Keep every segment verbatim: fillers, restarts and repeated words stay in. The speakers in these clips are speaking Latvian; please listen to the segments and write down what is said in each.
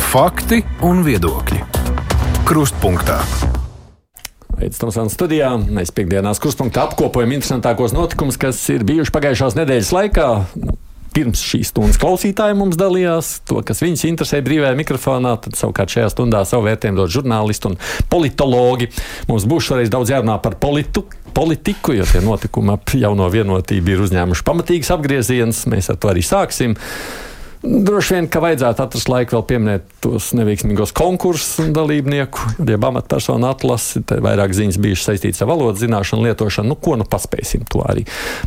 Fakti un viedokļi. Krustpunktā. Aizsmeļamies Tomsons studijā. Mēs piekdienās Krustpunktā apkopojam interesantākos notikumus, kas ir bijuši pagājušās nedēļas laikā. Pirms šīs stundas klausītāji mums dalījās to, kas viņus interesē brīvajā mikrofonā, tad savukārt šajā stundā savu vērtējumu dod žurnālisti un politologi. Mums būs šoreiz daudz jārunā par politu, politiku, jo tie notikumi ap jauno vienotību ir uzņēmuši pamatīgas apgrieziens. Mēs ar to arī sāksim. Droši vien, ka vajadzētu atrast laiku vēl pieminēt tos neveiksmīgos konkursu dalībnieku, jeb amatpersonu atlasi. Te vairāk ziņas bijušas saistītas ar valodas zināšanu, lietošanu. Nu, ko nu paspēsim, to arī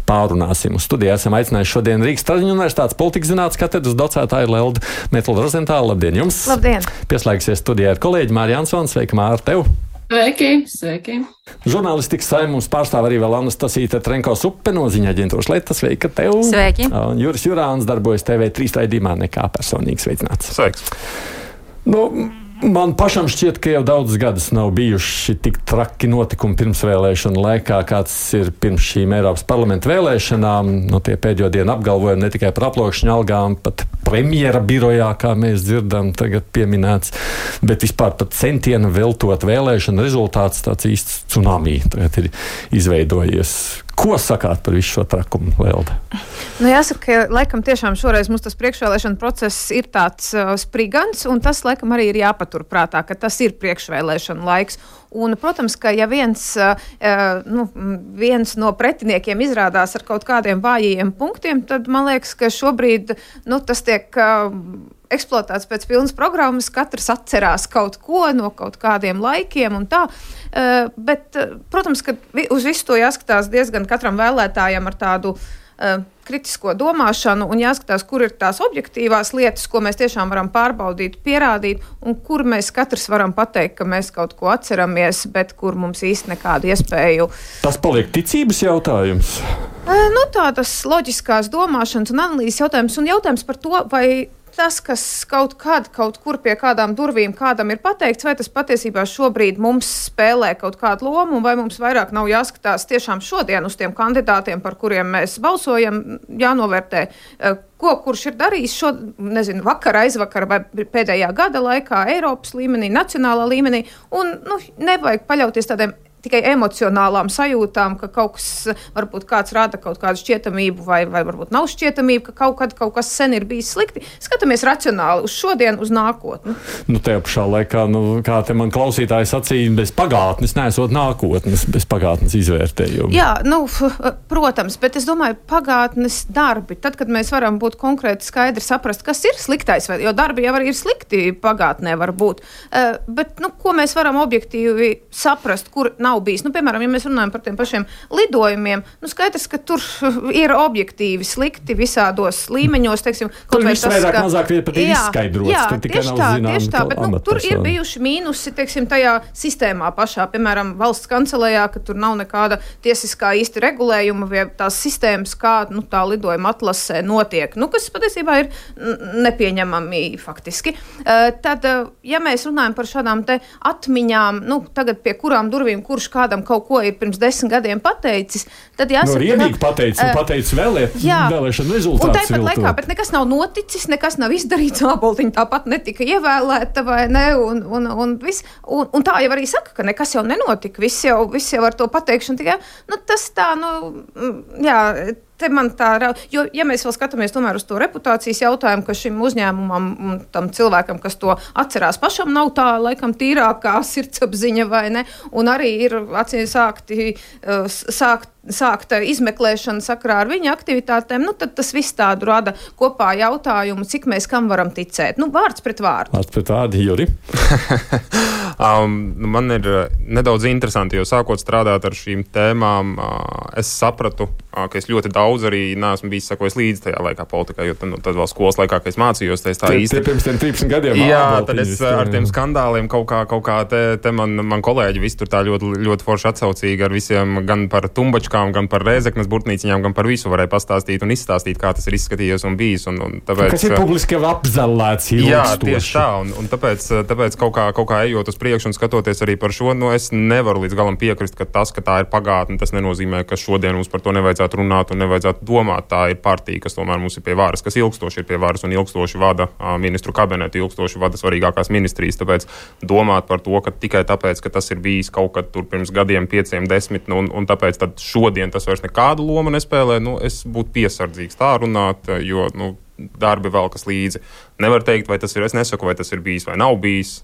pārunāsim. Uz studijā esam aicinājuši šodien Rīgas Traģiņu universitātes politikas zinātnes katedras docētāju Leldu Metlrozentālu. Labdien jums! Labdien! Pieslēgsies studijā ar kolēģi Māri Jansoni. Sveika, Māri, tev! Sveiki, sveiki. Žurnālistikas saimē mums pārstāv arī vēl Anastasija Trenko-Suppe no ziņa aģentūras Leta. Sveika tev! Sveiki! Un Juris Jurāns darbojas T V trīs raidījumā nekā personīgi sveicināts. Sveiks! Nu, man pašam šķiet, ka jau daudzus gadus nav bijuši tik traki notikumi pirmsvēlēšanu laikā, kāds ir pirms šīm Eiropas parlamenta vēlēšanām. Nu, tie pēdējo dienu apgalvojumi ne tikai par aplokšņu algām, pat premjera birojā, kā mēs dzirdam, tagad pieminēts, bet vispār pat centienu veltot vēlēšanu rezultāts tāds īsts tsunami tagad ir izveidojies. Ko sakāt par visu šo trakumu, Lelda? Nu, jāsaka, ka laikam tiešām šoreiz mums tas priekšvēlēšana process ir tāds uh, sprigans, un tas laikam arī ir jāpatur prātā, ka tas ir priekšvēlēšana laiks. Un, protams, ka ja viens, uh, nu, viens no pretiniekiem izrādās ar kaut kādiem vājiem punktiem, tad man liekas, ka šobrīd nu, tas tiek uh, eksploatēts pēc pilnas programmas, katrs atcerās kaut ko no kaut kādiem laikiem un tā. Uh, bet, uh, protams, ka vi, uz visu to jāskatās diezgan katram vēlētājam ar tādu uh, kritisko domāšanu un jāskatās, kur ir tās objektīvās lietas, ko mēs tiešām varam pārbaudīt, pierādīt, un kur mēs katrs varam pateikt, ka mēs kaut ko atceramies, bet kur mums īsti nekādu iespēju. Tas paliek ticības jautājums? Uh, nu, tādas loģiskās domāšanas un analīzes jautājums, un jautājums par to, vai tas, kas kaut kad, kaut kur pie kādām durvīm kādam ir pateikts, vai tas patiesībā šobrīd mums spēlē kaut kādu lomu, vai mums vairāk nav jāskatās tiešām šodien uz tiem kandidātiem, par kuriem mēs balsojam, jānovērtē, ko kurš ir darījis šo, nezinu, vakar, aizvakar vai pēdējā gada laikā Eiropas līmenī, nacionālā līmenī, un nu, nevajag paļauties tādiem tikai emocionālām sajūtām, ka kaut kas, varbūt kāds rāda kaut kādu šķietamību vai, vai varbūt nav šķietamību, ka kaut kad kaut kas sen ir bijis slikti. Skatāmies racionāli uz šodienu, uz nākotni. Nu, tajā pašā laikā, nu, kā te man klausītāji sacīja, bez pagātnes neesot nākotnes, bez pagātnes izvērtējuma. Jā, nu, protams, bet es domāju, pagātnes darbi, tad, kad mēs varam būt konkrēti skaidri saprast, kas ir sliktais, jo darbi jau arī ir slikti pagātnē var būt. Uh, bet, nu, ko mēs varam objektīvi saprast, kur nav bijis. Nu, piemēram, ja mēs runājam par tiem pašiem lidojumiem, nu skaidrs, ka tur ir objektīvi slikti visādos līmeņos, teiksim, tur viss vairāk ka... mazāk pat ir izskaidrots. Jā, tur tikai tieši nav tā, zinām, tieši tā, bet nu, tur ir bijuši mīnusi, teiksim, tajā sistēmā pašā, piemēram, valsts kancelējā, ka tur nav nekāda tiesiskā īsti regulējuma vai tās sistēmas, kā nu, tā lidojuma atlasē notiek, nu, kas patiesībā ir nepieņemami faktiski. Uh, tad, uh, ja mēs runājam par šādām te atmiņām, nu, tagad pie kurām durvīm, kurš kādam kaut ko ir pirms desmit gadiem pateicis, tad jāsaka, no, riebīgi pateicis un pateicis vēlēt, vēlēšanu rezultātus. Un tāpat laikā, bet nekas nav noticis, nekas nav izdarīts, Āboltiņa tāpat netika ievēlēta, vai ne, un, un, un, viss, un, un tā jau arī saka, ka nekas jau nenotika, viss jau, viss jau ar to pateikšanu tikai, nu, tas tā, nu, jā, te man tā, jo, ja mēs vēl skatāmies tomēr uz to reputācijas jautājumu, ka šim uzņēmumam un tam cilvēkam, kas to atcerās pašam, nav tā, laikam, tīrākā sirdsapziņa, vai ne, un arī ir acīm sākti, sākt, sākta izmeklēšana sakarā ar viņa aktivitātēm, nu, tad tas viss tādu rada kopā jautājumu, cik mēs kam varam ticēt. Nu, vārds pret vārdu. Vārds pret vārdu, Juri. um, man ir nedaudz interesanti, jo sākot strādāt ar šīm tēmām, uh, es sapratu, uh, ka es ļoti daudz arī neesmu bijis sakojis līdzi tajā laikā politikā, jo tad, nu, tad vēl skolas laikā, kad es mācījos, tā tie, īsti. Tie pirms tiem trīsdesmit gadiem. Jā, tad es ar tiem skandāliem kaut kā, kaut kā te, te man, man kolēģi visi tur tā ļoti, ļoti forši atsaucīgi ar visiem gan par tumbaču burtnieciņām, gan par Rēzeknes burtnieciņām, gan par visu varēja pastāstīt un izstāstīt, kā tas ir izskatījies un bijis. Un, un tāpēc, kas ir publiski jau apzallēts ilgstoši. Jā, tieši tā, un, un tāpēc, tāpēc kaut, kā, kaut kā ejot uz priekšu un skatoties arī par šo, nu es nevaru līdz galam piekrist, ka tas, ka tā ir pagātne, tas nenozīmē, ka šodien mums par to nevajadzētu runāt un nevajadzētu domāt. Tā ir partija, kas tomēr mums ir pie varas, kas ilgstoši ir pie varas un ilgstoši vada ministru kabinetu, ilgstoši vada svarīgākās ministrijas. Tāpēc domāt par to, ka tikai tāpēc, ka tas ir bijis kaut kad tur pirms gadiem, pieciem, desmit, nu, un, un tāpēc tad šodien tas vairs nekādu lomu nespēlē, nu, es būtu piesardzīgs tā runāt, jo, nu, darbi velkas līdzi. Nevar teikt, vai tas ir, es nesaku, vai tas ir bijis vai nav bijis.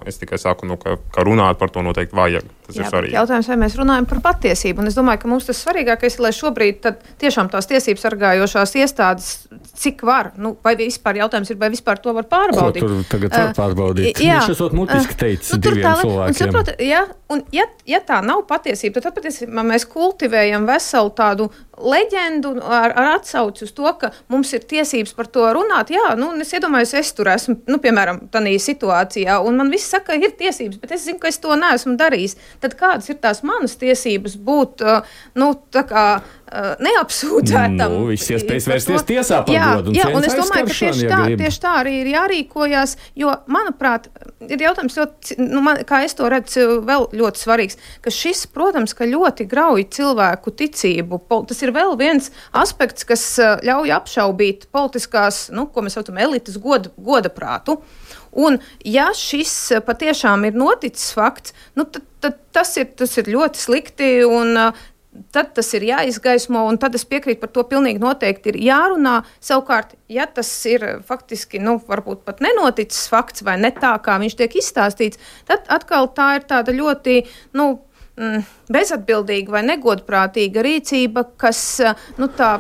Es tikai saku, nu, ka, ka runāt par to noteikti vajag. Tas Jā, ir svarīgi. Jautājums, vai mēs runājam par patiesību. Un es domāju, ka mums tas svarīgākais ir, lai šobrīd tad tiešām tās tiesības sargājošās iestādes, cik var, nu, vai vispār jautājums ir, vai vispār to var pārbaudīt. Ko tur tagad var pārbaudīt? Uh, jā. Viņš esot mutiski teicis uh, nu, diviem tā, cilvēkiem. Un, saprot, ja, un ja, ja tā nav patiesība, tad patiesībā mēs kultivējam veselu tādu leģendu ar, ar atsauci uz to, ka mums ir tiesības par to runāt. Jā, nu, es iedomājos, es tur esmu, nu, piemēram, tādā situācijā, un man viss saka, ka ir tiesības, bet es zinu, ka es to neesmu darījis. Tad kādas ir tās manas tiesības būt, nu, tā kā neapsūdzētam? Nu, viss iespējas vērsties tiesā par jā, godu un jā, cieņas un es domāju, ka tieši aizskaršanu, tā, ja grib. tieši tā arī ir jārīkojās, jo, manuprāt, ir jautājums ļoti, nu, man, kā es to redzu, vēl ļoti svarīgs, ka šis, protams, ka ļoti grauj cilvēku ticību. Tas ir vēl viens aspekts, kas ļauj apšaubīt politiskās, nu, ko mēs saucam, elites goda, godaprātu. Un, ja šis patiešām ir noticis fakts, nu, tad, tad tas, ir, tas ir ļoti slikti un tad tas ir jāizgaismo, un tad es piekrītu par to pilnīgi noteikti ir jārunā. Savukārt, ja tas ir faktiski, nu, varbūt pat nenoticis fakts vai ne tā, kā viņš tiek izstāstīts, tad atkal tā ir tāda ļoti, nu, bezatbildīga vai negodprātīga rīcība, kas, nu, tā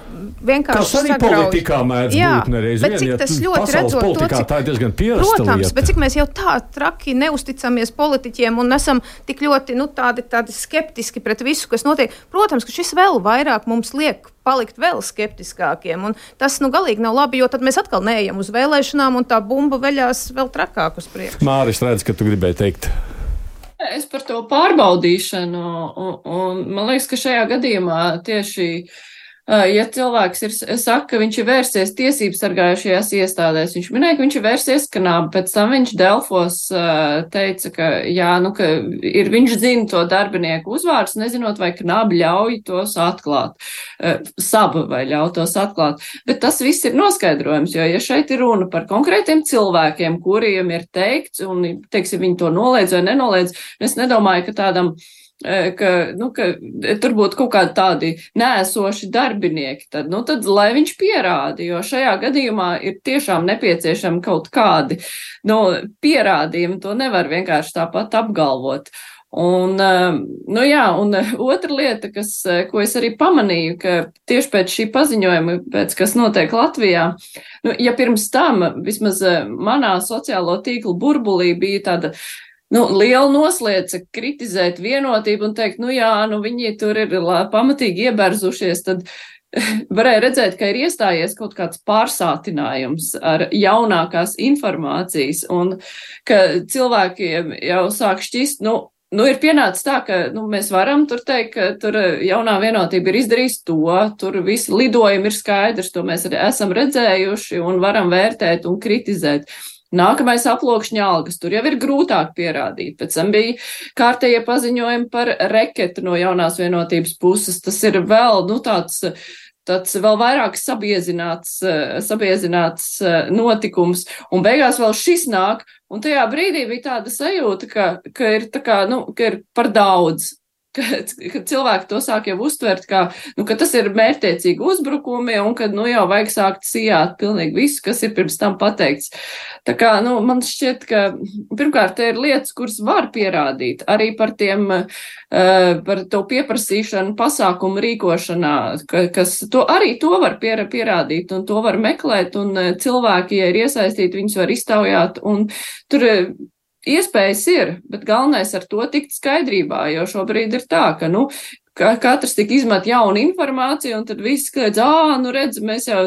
vienkārši tas arī sagrauj. Politikā mēdz Jā, būt nereiz bet vien, cik ja tas ļoti pasaules redzot to, politikā cik, tā ir diezgan pierasta protams, lieta. bet cik mēs jau tā traki neusticamies politiķiem un esam tik ļoti, nu, tādi, tādi skeptiski pret visu, kas notiek. Protams, ka šis vēl vairāk mums liek palikt vēl skeptiskākiem, un tas, nu, galīgi nav labi, jo tad mēs atkal neejam uz vēlēšanām, un tā bumba veļās vēl trakāk uz priekšu. Māris, redz, ka tu gribēji teikt. Es par to pārbaudīšanu, un, un man liekas, ka šajā gadījumā tieši, ja cilvēks ir, saka, ka viņš ir vērsies tiesības sargājušajās iestādēs, viņš minēja, ka viņš ir vērsies Knābi, pēc tam viņš Delfos teica, ka, jā, nu, ka ir, viņš zina to darbinieku uzvārdus, nezinot, vai Knābi ļauj tos atklāt, Saba vai ļauj tos atklāt, bet tas viss ir noskaidrojums, jo, ja šeit ir runa par konkrētiem cilvēkiem, kuriem ir teikts, un, teiksim, viņi to noliedz vai nenoliedz, es nedomāju, ka tādam Ka, nu, ka tur būtu kaut kādi tādi nēsoši darbinieki, tad, nu, tad, lai viņš pierāda, jo šajā gadījumā ir tiešām nepieciešami kaut kādi, nu, pierādījumi, to nevar vienkārši tāpat apgalvot. Un, nu jā, un otra lieta, kas, ko es arī pamanīju, ka tieši pēc šī paziņojuma, pēc kas notiek Latvijā, nu, ja pirms tam vismaz manā sociālo tīklu burbulī bija tāda, nu, liela noslēdze kritizēt vienotību un teikt, nu jā, nu viņi tur ir pamatīgi ieberzušies, tad varēja redzēt, ka ir iestājies kaut kāds pārsātinājums ar jaunākās informācijas un ka cilvēkiem jau sāk šķist, nu, Nu, ir pienācis tā, ka nu, mēs varam tur teikt, ka tur jaunā vienotība ir izdarījis to, tur visi lidojumi ir skaidrs, to mēs arī esam redzējuši un varam vērtēt un kritizēt. Nākamais aploksņa algas, tur jau ir grūtāk pierādīt. Pēc tam bija kārtējie paziņojumi par reketu no jaunās vienotības puses. Tas ir vēl, nu, tāds, tāds vēl vairāk sabiezināts, sabiezināts notikums. Un beigās vēl šis nāk, un tajā brīdī bija tāda sajūta, ka, ka ir tā kā, nu, ka ir par daudz. Ka, ka cilvēki to sāk jau uztvert, ka, nu, ka tas ir mērķtiecīgi uzbrukumi un ka nu, jau vajag sākt sijāt pilnīgi visu, kas ir pirms tam pateikts. Tā kā, nu, man šķiet, ka pirmkārt te ir lietas, kuras var pierādīt arī par tiem, uh, par to pieprasīšanu pasākumu rīkošanā, ka, kas to arī to var pier, pierādīt un to var meklēt un cilvēki, ja ir iesaistīti, viņus var iztaujāt un tur iespējas ir, bet galvenais ar to tikt skaidrībā, jo šobrīd ir tā, ka, nu, ka katrs tik izmet jaunu informāciju, un tad viss skaidrs, ā, nu redz, mēs jau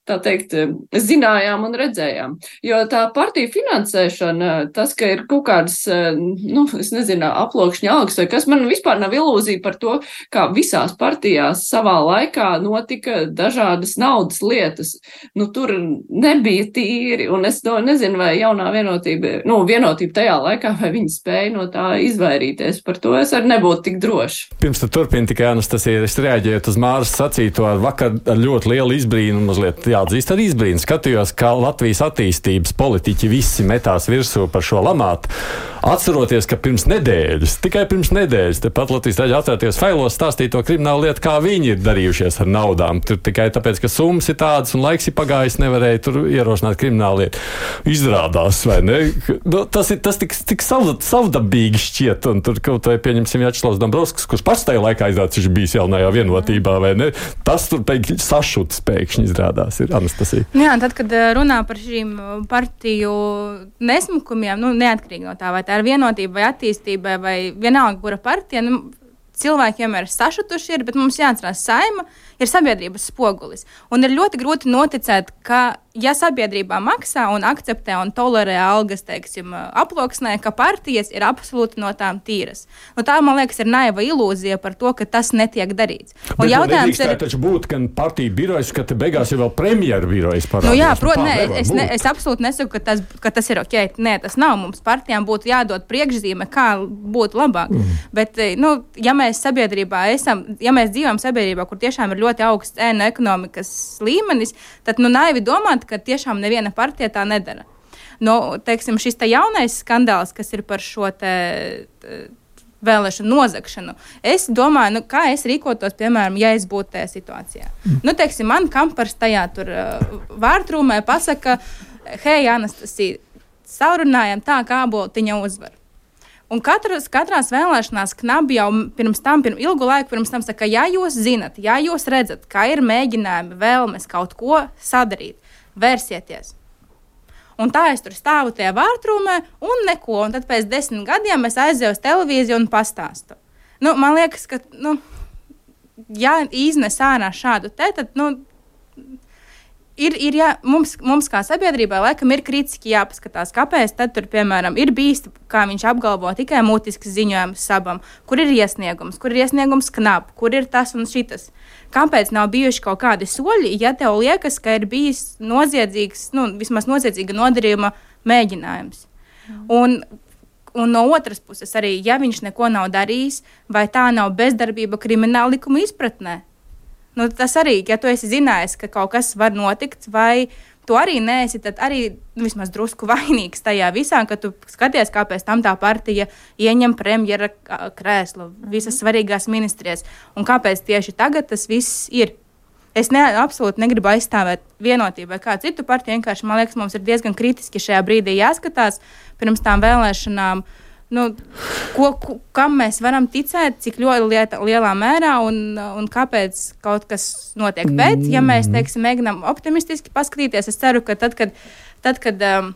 tā teikt, zinājām un redzējām. Jo tā partija finansēšana, tas, ka ir kaut kādas, nu, es nezinu, aploksņa algas vai kas, man vispār nav ilūzija par to, kā visās partijās savā laikā notika dažādas naudas lietas. Nu, tur nebija tīri, un es to nezinu, vai jaunā vienotība, nu, vienotība tajā laikā, vai viņi spēja no tā izvairīties. Par to es arī nebūtu tik droši. Pirms tu turpini tikai, Anastasija, es reaģēju uz Māras sacīto ar vakar ar ļoti lielu izbrīnu, mazliet jāatzīst ar izbrīnu. Skatījos, kā Latvijas attīstības politiķi visi metās virsū par šo lamātu. Atceroties, ka pirms nedēļas, tikai pirms nedēļas, tepat Latvijas raidījumā atcerēties failos stāstīt to kriminālu lietu, kā viņi ir darījušies ar naudām. Tur tikai tāpēc, ka summas ir tādas un laiks ir pagājis, nevarēja tur ierosināt kriminālu lietu. Izrādās, vai ne? Nu, tas ir tas tik, tik savdabīgi šķiet, un tur kaut vai pieņemsim Vjačeslavs Dombrovskis, kurš pats tajā laikā izrādās, viņš bijis jaunajā vienotībā, vai ne? Tas tur pēkšņi sašuts pēkšņi izrādās, ir Anastasija. Jā, tad, kad runā par šīm partiju nesmukumiem, nu, neatkarīgi no tā, vai tā ir vienotība vai attīstība vai vienalga, kura partija, nu, cilvēki vienmēr ir sašutuši, ir, bet mums jāatcerās, Saeima ir sabiedrības spogulis. Un ir ļoti grūti noticēt, ka, ja sabiedrībā maksā un akceptē un tolerē algas, teiksim, aploksnē, ka partijas ir absolūti no tām tīras. Nu, tā, man liekas, ir naiva ilūzija par to, ka tas netiek darīts. Un bet jautājums ir... taču būt, ka partija birojas, ka te beigās ir vēl premjeru birojas parādās. Nu jā, prot, nē, es, ne, es absolūti nesaku, ka tas, ka tas ir ok. Nē, tas nav. Mums partijām būtu jādod priekšzīme, kā būtu labāk. Mm. Bet, nu, ja mēs sabiedrībā esam, ja mēs dzīvojam sabiedrībā, kur tiešām ir ļoti augsts ēnu ekonomikas līmenis, tad, nu, naivi domāt, ka tiešām neviena partija tā nedara. Nu, teiksim, šis te jaunais skandāls, kas ir par šo te, te vēlēšanu nozagšanu, es domāju, nu, kā es rīkotos, piemēram, ja es būtu tajā situācijā. Mm. Nu, teiksim, man kampars tajā tur uh, vārtrūmē pasaka, hei, Anastasija, sarunājam tā, kā boltiņa uzvar. Un katras, katrās vēlēšanās Knabi jau pirms tam, pirms ilgu laiku pirms tam saka, ja jūs zinat, ja jūs redzat, kā ir mēģinājumi, vēlmes kaut ko sadarīt, vērsieties. Un tā es tur stāvu tajā vārtrūmē un neko, un tad pēc desmit gadiem es aizēju uz televīziju un pastāstu. Nu, man liekas, ka, nu, ja iznes ārā šādu te, tad, nu, Ir, ir jā, mums, mums kā sabiedrībai laikam ir kritiski jāpaskatās, kāpēc tad tur, piemēram, ir bijis, kā viņš apgalvo, tikai mutisks ziņojums Sabam, kur ir iesniegums, kur ir iesniegums Knap, kur ir tas un šitas. Kāpēc nav bijuši kaut kādi soļi, ja tev liekas, ka ir bijis noziedzīgs, nu, vismaz noziedzīga nodarījuma mēģinājums. Mm. Un, un no otras puses arī, ja viņš neko nav darījis, vai tā nav bezdarbība krimināla likuma izpratnē, nu, tas arī, ja tu esi zinājis, ka kaut kas var notikt, vai tu arī neesi, tad arī nu, vismaz drusku vainīgs tajā visā, ka tu skaties, kāpēc tam tā partija ieņem premjera krēslu, visas svarīgās ministrijas, un kāpēc tieši tagad tas viss ir. Es ne, absolūti negribu aizstāvēt vienotību vai kādu citu partiju, vienkārši, man liekas, mums ir diezgan kritiski šajā brīdī jāskatās pirms tām vēlēšanām, nu, ko, ko, kam mēs varam ticēt, cik ļoti lieta, lielā mērā un, un kāpēc kaut kas notiek. Bet, ja mēs, teiksim, mēģinām optimistiski paskatīties, es ceru, ka tad, kad, tad, kad um,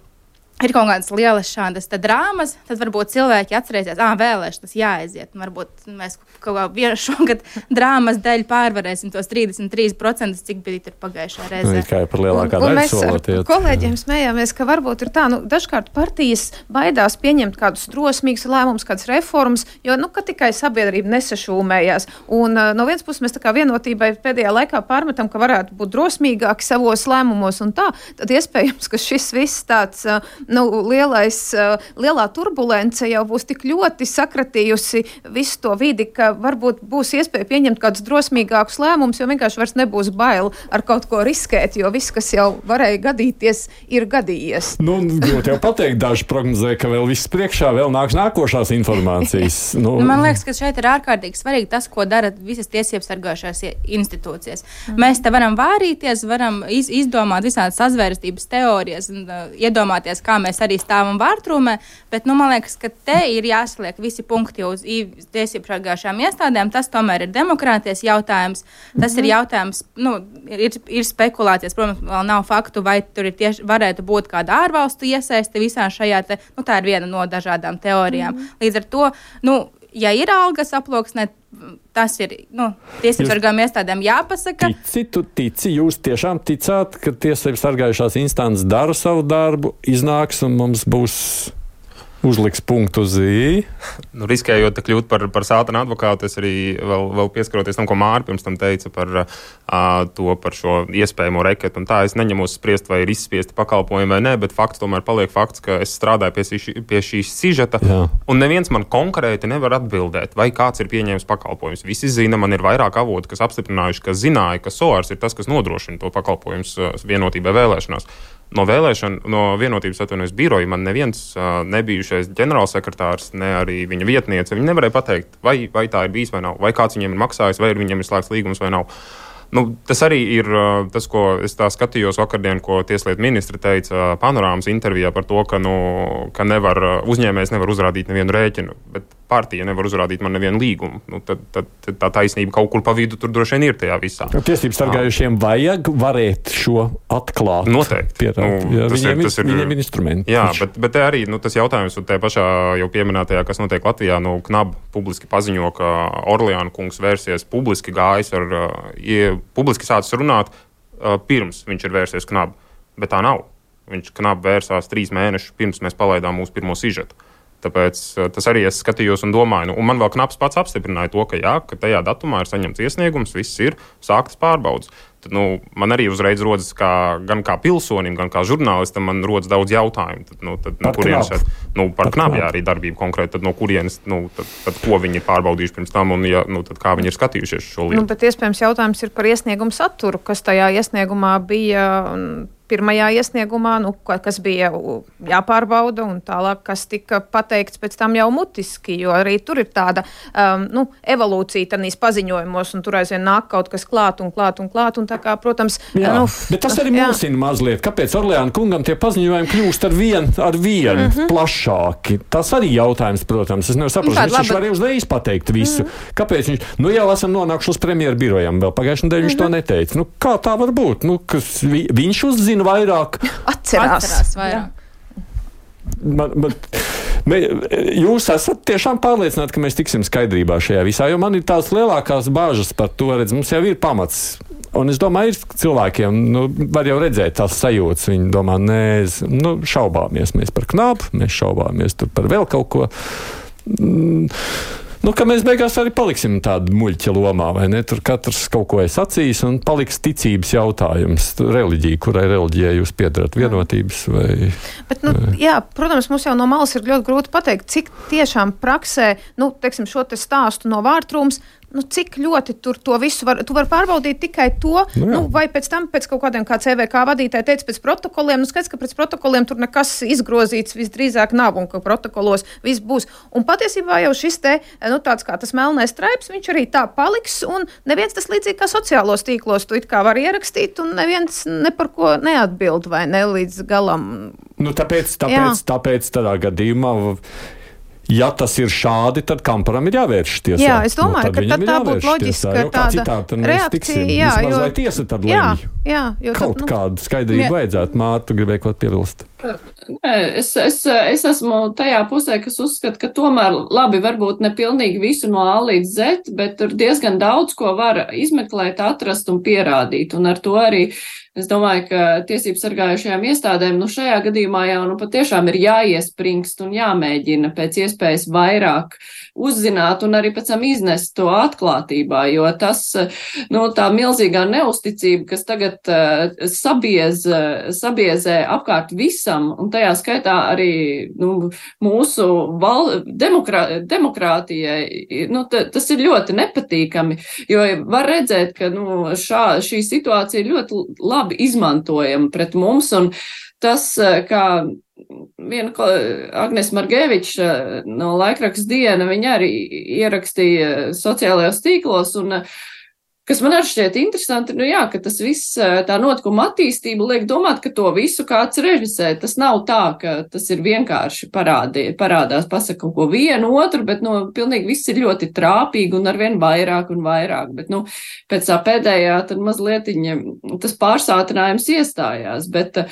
ir kaut kādas lielas šādas drāmas, tad varbūt cilvēki atcerēsies, ā, vēlēšanas jāaiziet. Un varbūt mēs kaut kā vienu šogad drāmas dēļ pārvarēsim tos trīsdesmit trīs procenti, cik bija tur pagājušā reizē. Nu, kā par lielākā un, un daļa mēs solotiet. Ar kolēģiem smējāmies, ka varbūt ir tā, nu, dažkārt partijas baidās pieņemt kādus drosmīgus lēmumus, kādas reformas, jo, nu, ka tikai sabiedrība nesašūmējās. Un uh, no vienas puses mēs tā kā vienotībai pēdējā laikā pārmetam, ka varētu būt drosmīgāki savos lēmumos un tā, tad iespējams, ka šis viss tāds, uh, nu, lielais, uh, lielā turbulence jau būs tik ļoti sakratījusi visu to vidi, ka varbūt būs iespēja pieņemt kādus drosmīgākus lēmumus, jo vienkārši vairs nebūs bail ar kaut ko riskēt, jo viss, kas jau varēja gadīties, ir gadījies. Nu, grūti jau pateikt, daži prognozē, ka vēl viss priekšā, vēl nāks nākošās informācijas. Nu, nu, man liekas, ka šeit ir ārkārtīgi svarīgi tas, ko dara visas tiesības sargājušās institūcijas. Mm. Mēs te varam vārīties, varam iz, izdomāt visādas sazvērstības teorijas un uh, iedomāties, kā mēs arī stāvam vārtrūmē, bet, nu, man liekas, ka te ir jāsliek visi punkti uz tiesību sargājušām iestādēm. Tas tomēr ir demokrātijas jautājums. Tas mm-hmm. ir jautājums, nu, ir, ir spekulācijas, protams, vēl nav faktu, vai tur ir tieši varētu būt kāda ārvalstu iesaiste visā šajā te, nu, tā ir viena no dažādām teorijām. Mm-hmm. Līdz ar to, nu, ja ir algas aploksnē, tas ir, nu, tiesības sargājuma iestādēm jāpasaka. Tici, tu tici, jūs tiešām ticāt, ka tiesības sargājušās instances dara savu darbu, iznāks un mums būs uzliks punktu uz ī. Nu, riskējot kļūt par, par sātana advokātu, es arī vēl, vēl pieskaroties tam, ko Māra pirms tam teica par uh, to, par šo iespējamo reketu. Un tā es neņemos spriest, vai ir izspiesti pakalpojumi vai nē, bet fakts tomēr paliek fakts, ka es strādāju pie, šī, pie šīs sižeta, Jā. Un neviens man konkrēti nevar atbildēt, vai kāds ir pieņēmis pakalpojumus. Visi zina, man ir vairāk avoti, kas apstiprinājuši, ka zināja, ka S O A R S ir tas, kas nodrošina to pakalpojumus vienotībai vēlēšanās. No vēlēšana, no vienotības atvainojas biroja man neviens uh, nebijušais ģenerālsekretārs, ne arī viņa vietniece. Viņi nevarēja pateikt, vai, vai tā ir bijis vai nav, vai kāds viņiem ir maksājis, vai viņiem ir slēgts līgums vai nav. Nu, tas arī ir uh, tas, ko es tā skatījos vakardien, ko tieslietu ministri teica Panorāmas intervijā par to, ka, nu, ka nevar, uzņēmējs nevar uzrādīt nevienu rēķinu, bet partija nevar uzrādīt man nevienu līgumu. Nu, tad, tad, tad tā taisnība kaut kur pa vidu tur droši vien ir tajā visā. Tiesības sargājušiem vajag varēt šo atklāt. Noteikti. Pierāt, nu, viņiem, ir, ir, viņiem ir instrumenti. Jā, bet, bet te arī nu, tas jautājums un te pašā jau pieminētajā, kas notiek Latvijā, nu, Knab publiski paziņo, ka Orleāna kungs vērsies publiski gājis ar, ja, publiski sācis runāt, pirms viņš ir vērsies Knab. Bet tā nav. Viņš Knab vērsās trīs mēnešus pirms mēs palaidām mūsu pirmo sižetu. Tāpēc tas arī es skatījos un domāju, nu, un man vēl Knabs pats apstiprināja to, ka jā, ka tajā datumā ir saņemts iesniegums, viss ir sāktas pārbaudas. Tad, nu, man arī uzreiz rodas kā, gan kā pilsonim, gan kā žurnālistam, man rodas daudz jautājumu. Tad, nu, tad, no kurienes, nu, par Knabu arī darbību konkrēti, tad no kurienes, nu, tad, tad ko viņi ir pārbaudījuši pirms tam un ja, nu, tad kā viņi ir skatījušies šo lietu. Nu, bet iespējams jautājums ir par iesniegumu saturu, kas tajā iesniegumā bija pirmajā iesniegumā, nu, kas bija jāpārbauda un tālāk, kas tika pateikts pēc tam jau mutiski, jo arī tur ir tāda um, nu, evolūcija tanīs paziņojumos un tur aizvien nāk kaut kas klāt un klāt un klāt un tā kā, protams... Jā, nu, bet tas arī mulsina mazliet. Kāpēc Orleāna kungam tie paziņojumi kļūst ar vien, ar vien mm -hmm. plašāki? Tas arī jautājums, protams. Es nevaru saprast, viņš laba... var arī uzreiz pateikt visu. Mm -hmm. Kāpēc viņš... Nu, jau esam nonākuši uz premjeru birojām. Vēl pagājušajā nedēļā viņš mm -hmm. to neteica. Nu, kā tā var būt? Nu, kas, vi, viņš uzzina vairāk. Atcerās. Atcerās vairāk. Man, man, mē, jūs esat tiešām pārliecināti, ka mēs tiksim skaidrībā šajā visā, jo man ir tās lielākās bāžas par to, redz, mums jau ir pamats. Un es domāju, ir cilvēkiem, nu, var jau redzēt tās sajūtas. Viņi domā, nē, nu, šaubāmies mēs par Knabu, mēs šaubāmies tur par vēl kaut ko. Mm. Nu, ka mēs beigās arī paliksim tādu muļķa lomā, vai ne? Tur katrs kaut ko ir sacījis un paliks ticības jautājums. Reliģija, kurai reliģijai jūs piedarat, vienotības vai... Bet, nu, jā, protams, mums jau no malas ir ļoti grūti pateikt, cik tiešām praksē, nu, teiksim, šo te stāstu no vārtrūms, nu, cik ļoti tur to visu var, tu var pārbaudīt tikai to, nu, nu, vai pēc tam, pēc kaut kādiem, kā C V K vadītāji teica, pēc protokoliem, nu, skaidrs, ka pēc protokoliem tur nekas izgrozīts visdrīzāk nav un ka protokolos viss būs. Un patiesībā jau šis te, nu, tāds kā tas melnais straips, viņš arī tā paliks un neviens tas līdzīgi kā sociālos tīklos tu it kā var ierakstīt un neviens ne par ko neatbild vai ne līdz galam. Nu, tāpēc, tāpēc, tāpēc tādā gadījumā... Ja tas ir šādi, tad Kamparam ir jāvērš tiesā. Jā, es domāju, nu, ka tad tā būtu loģiska tāda reakcija. Jā, jo... Vai tiesa tad lemj? Jā, jo kaut tad, nu... kādu skaidrību jā. Vajadzētu. Mārta, tu gribēji kaut piebilst? Nē, es, es, es esmu tajā pusē, kas uzskata, ka tomēr labi, varbūt ne pilnīgi visu no A līdz Z, bet tur diezgan daudz, ko var izmeklēt, atrast un pierādīt. Un ar to arī es domāju, ka tiesību sargājušajām iestādēm, nu šajā gadījumā jau nu patiešām ir jāiespringst un jāmēģina pēc iespējas vairāk uzzināt un arī pēc tam iznest to atklātībā, jo tas, nu tā milzīgā neusticība, kas tagad uh, sabiez, uh, sabiezē apkārt visam, un tajā skaitā arī nu, mūsu val, demokrā, demokrātijai, nu t, tas ir ļoti nepatīkami, jo var redzēt, ka nu, šā, šī situācija ir ļoti labi izmantojama pret mums, un tas, kā viena Agnes Margeviča no laikraksta Diena, viņa arī ierakstīja sociālajos tīklos, un kas man arī šķiet interesanti, nu jā, ka tas viss, tā notikuma attīstība liek domāt, ka to visu kāds režisē. Tas nav tā, ka tas ir vienkārši parādī, parādās, pasaka kaut ko vienu, otru, bet, nu, pilnīgi viss ir ļoti trāpīgi un arvien vairāk un vairāk. Bet, nu, pēc tā pēdējā tad mazlietiņa tas pārsātinājums iestājās, bet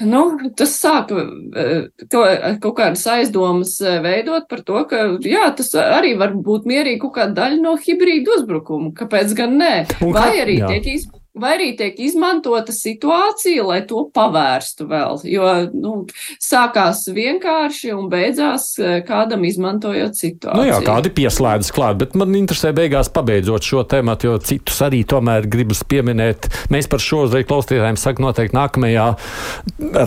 Nu, tas sāk kaut kādas aizdomas veidot par to, ka, jā, tas arī var būt mierīgi kaut kāda daļa no hibrīdu uzbrukuma. Kāpēc gan nē? Vai arī tiek izmantot. Vai arī tiek izmantota situācija, lai to pavērstu vēl, jo nu, sākās vienkārši un beidzās kādam izmantojot situāciju. Nu jā, kādi pieslēdzas klāt, bet man interesē beigās pabeidzot šo tēmatu, jo citus arī tomēr gribas pieminēt. Mēs par šo uzreiz klausītājiem saka noteikti nākamajā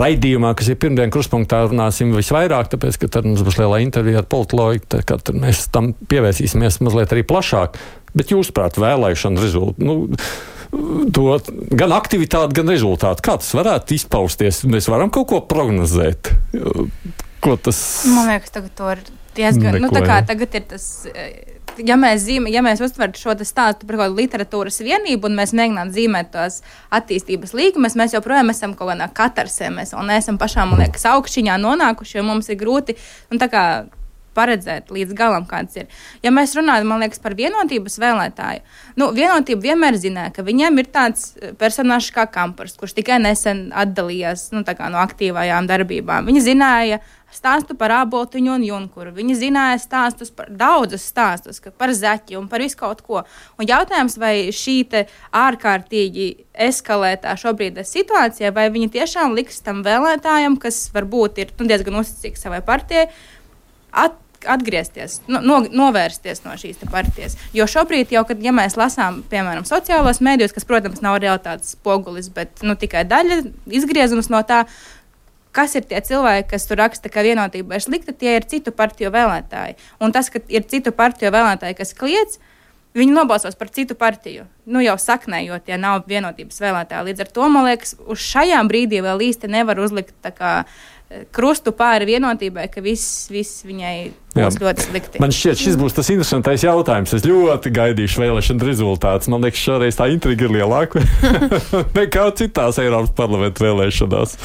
raidījumā, kas ir pirmdien Kruspunktā, runāsim visvairāk, tāpēc, ka tad mums būs lielā intervija ar politologu, tā kā tad mēs tam pievērsīsimies mazliet arī plašāk. Bet jūsuprāt, vēlēšana rezultāti, nu, to gan aktivitāti, gan rezultāti. Kā tas varētu izpausties? Mēs varam kaut ko prognozēt. Ko tas... Man liekas, tagad to ir diezgan... Nu, tā kā tagad ir tas... Ja mēs, zīmē, ja mēs uztvertu šo stāstu par kaut kādu literatūras vienību un mēs mēģinām zīmēt tās attīstības līkumus, mēs joprojām esam kaut kādā katarsē. Mēs vēl neesam pašām, man liekas, augšķiņā nonākuši, jo mums ir grūti... Un tā kā paredzēt līdz galam, kāds ir. Ja mēs runājam, man liekas, par vienotības vēlētāju, nu, vienotība vienmēr zināja, ka viņiem ir tāds personāžs kā Kampars, kurš tikai nesen atdalījās nu, tā kā no aktīvajām darbībām. Viņi zināja stāstu par Āboltiņu un Junkuru. Viņi zināja stāstus par daudzus stāstus, par Zaķi un par visu kaut ko. Un jautājums, vai šī te ārkārtīgi eskalētā šobrīd situācija, vai viņi tiešām liks tam vēlētājam, kas varbūt ir nu, diezgan uzticīgs savai partijai, at atgriezties, no, no, novērsties no šīs partijas. Jo šobrīd jau, kad ja mēs lasām, piemēram, sociālos mēdījus, kas, protams, nav realitātes spogulis, bet nu, tikai daļa izgriezums no tā, kas ir tie cilvēki, kas tur raksta, ka vienotība ir slikta, tie ir citu partiju vēlētāji. Un tas, ka ir citu partiju vēlētāji, kas kliedz, viņi nobalsos par citu partiju. Nu jau saknē, jo tie nav vienotības vēlētāji. Līdz ar to, man liekas, uz šajām brīdī vēl īsti nevar uzlikt tā kā krustu pāri vienotībai, ka viss, viss viņai būs ļoti slikti. Man šķiet, šis būs tas interesantais jautājums. Es ļoti gaidīšu vēlēšanu rezultātus. Man liekas, šoreiz tā intriga ir lielāka nekā citās Eiropas parlamenta vēlēšanās.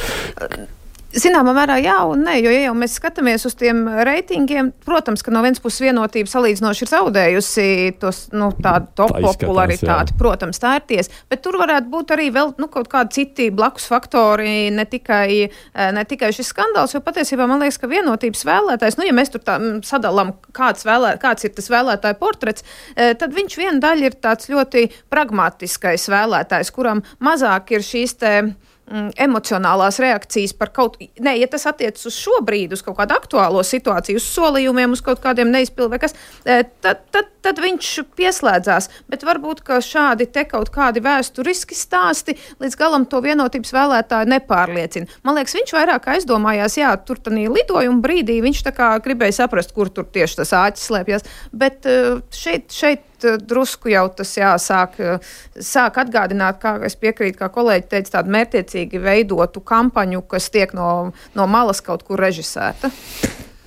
Zināmā mērā jā un nē, jo ja jau mēs skatāmies uz tiem reitingiem, protams, ka no vienas puses vienotība salīdzinoši ir zaudējusi tos, nu, tādu top popularitāti. Protams, tā ir tiesa, bet tur varētu būt arī vēl nu, kaut kādi citi blakus faktori, ne tikai, ne tikai šis skandāls, jo patiesībā man liekas, ka vienotības vēlētājs, nu, ja mēs tur tā sadalām, kāds, vēlē, kāds ir tas vēlētāju portrets, tad viņš viena daļa ir tāds ļoti pragmatiskais vēlētājs, kuram mazāk ir šīs te emocionālās reakcijas par kaut... Nē, ja tas attiecas uz šo brīdi, uz kaut kādu aktuālo situāciju, uz solījumiem, uz kaut kādiem neizpildu vai kas, tad, tad, tad viņš pieslēdzās. Bet varbūt, ka šādi te kaut kādi vēsturiski stāsti līdz galam to vienotības vēlētāju nepārliecina. Man liekas, viņš vairāk aizdomājās, jā, tur tanī lidojuma brīdī viņš tā kā gribēja saprast, kur tur tieši tas āķis slēpjas. Bet šeit, šeit drusku jau tas jāsāk sāk atgādināt, kā es piekrītu, kā kolēģi teica, tādu mērķiecīgi veidotu kampaņu, kas tiek no, no malas kaut kur režisēta.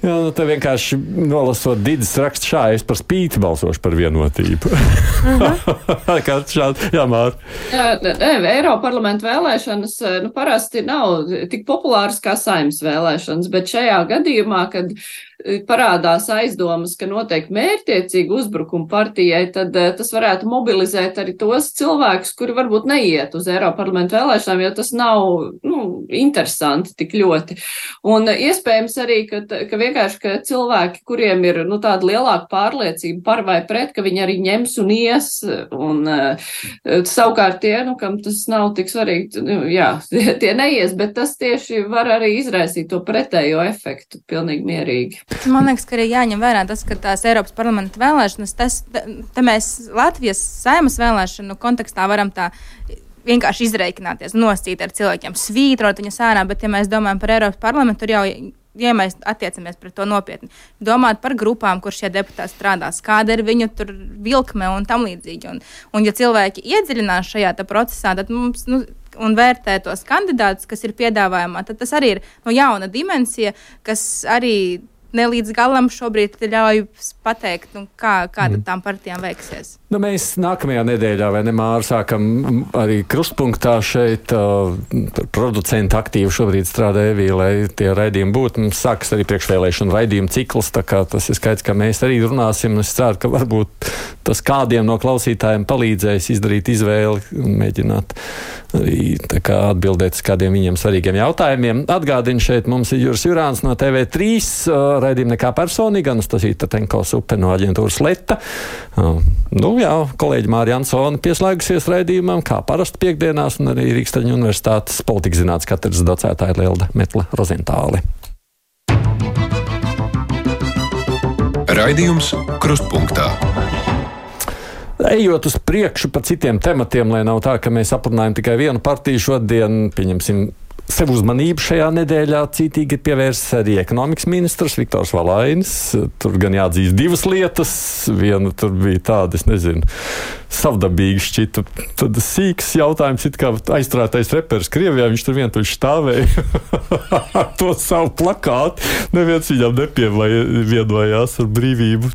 Jā, nu te vienkārši nolasot Didas rakstu šā, es par spīti balsošu par vienotību. Uh-huh. Kā šādi, jā, Māri. Eiroparlamenta vēlēšanas nu, parasti nav tik populāras kā Saeimas vēlēšanas, bet šajā gadījumā, kad parādās aizdomas, ka notiek mērķtiecīgi uzbrukumi partijai, tad tas varētu mobilizēt arī tos cilvēkus, kuri varbūt neiet uz Eiroparlamenta vēlēšanām, jo tas nav nu, interesanti tik ļoti. Un iespējams arī, ka, ka vienkārši ka cilvēki, kuriem ir nu, tāda lielāka pārliecība par vai pret, ka viņi arī ņems un ies, un uh, savukārt tie, nu, kam tas nav tik svarīgi, nu, jā, tie neies, bet tas tieši var arī izraisīt to pretējo efektu pilnīgi mierīgi. Man liekas, ka arī jāņem vērā tas, ka tās Eiropas parlamenta vēlēšanas, tas, te mēs Latvijas Saeimas vēlēšanu kontekstā varam tā vienkārši izreikināties, nosīt ar cilvēkiem, svītrot viņas ārā, bet ja mēs domājam par Eiropas parlamentu, tur jau, ja mēs attiecamies pret to nopietni, domāt par grupām, kur šie deputāti strādās, kāda ir viņu tur vilkme un tam līdzīgi. Un, un ja cilvēki iedziļinās šajā procesā, tad mums, nu, un vērtē tos kandidātus, kas ir piedāvājumā, tad tas arī ir no jauna dimensija, kas arī ne līdz galam šobrīd ļauj pateikt, nu, kā, kā mm. tām partijām veiksies. Nu, mēs nākamajā nedēļā, vai ne, Māra, sākam arī krustpunktā šeit uh, producenti aktīvi šobrīd strādā Evī, lai tie raidījumi būtu. Mums sākas arī priekšvēlēšana raidījuma cikls, tā kā tas ir skaidrs, ka mēs arī runāsim. Es ceru, ka varbūt tas kādiem no klausītājiem palīdzēs izdarīt izvēli un mēģināt arī tā kā atbildēt uz kādiem viņiem svarīgiem jautājumiem. Atgādinu, šeit mums ir Juris Jurāns no T V trīs, uh, raidījuma Nekā personīga, Anastasija Tatenko Supe no aģentūras Leta. Uh, nu jā, kolēģi Māra Jansone pieslēgusies raidījumam, kā parasti piekdienās, un arī Rīgstaņu universitātes politikas zinātnes katedras docētāja Lelda Metla Rozentāli. Raidījums Krustpunktā. Ejot uz priekšu par citiem tematiem, lai nav tā, ka mēs aprunājam tikai vienu partiju šodien, pieņemsim, sev uzmanību šajā nedēļā cītīgi ir pievērsis arī ekonomikas ministrs Viktors Valainis. Tur gan jāatzīst divas lietas. Viena tur bija tāda, es nezinu, savdabīgi šķita. Tad sīks jautājums, it kā aizturētais reperis Krievijā, viņš tur vientuļši stāvēja ar to savu plakātu. Neviens viņam nepievienojās ar brīvību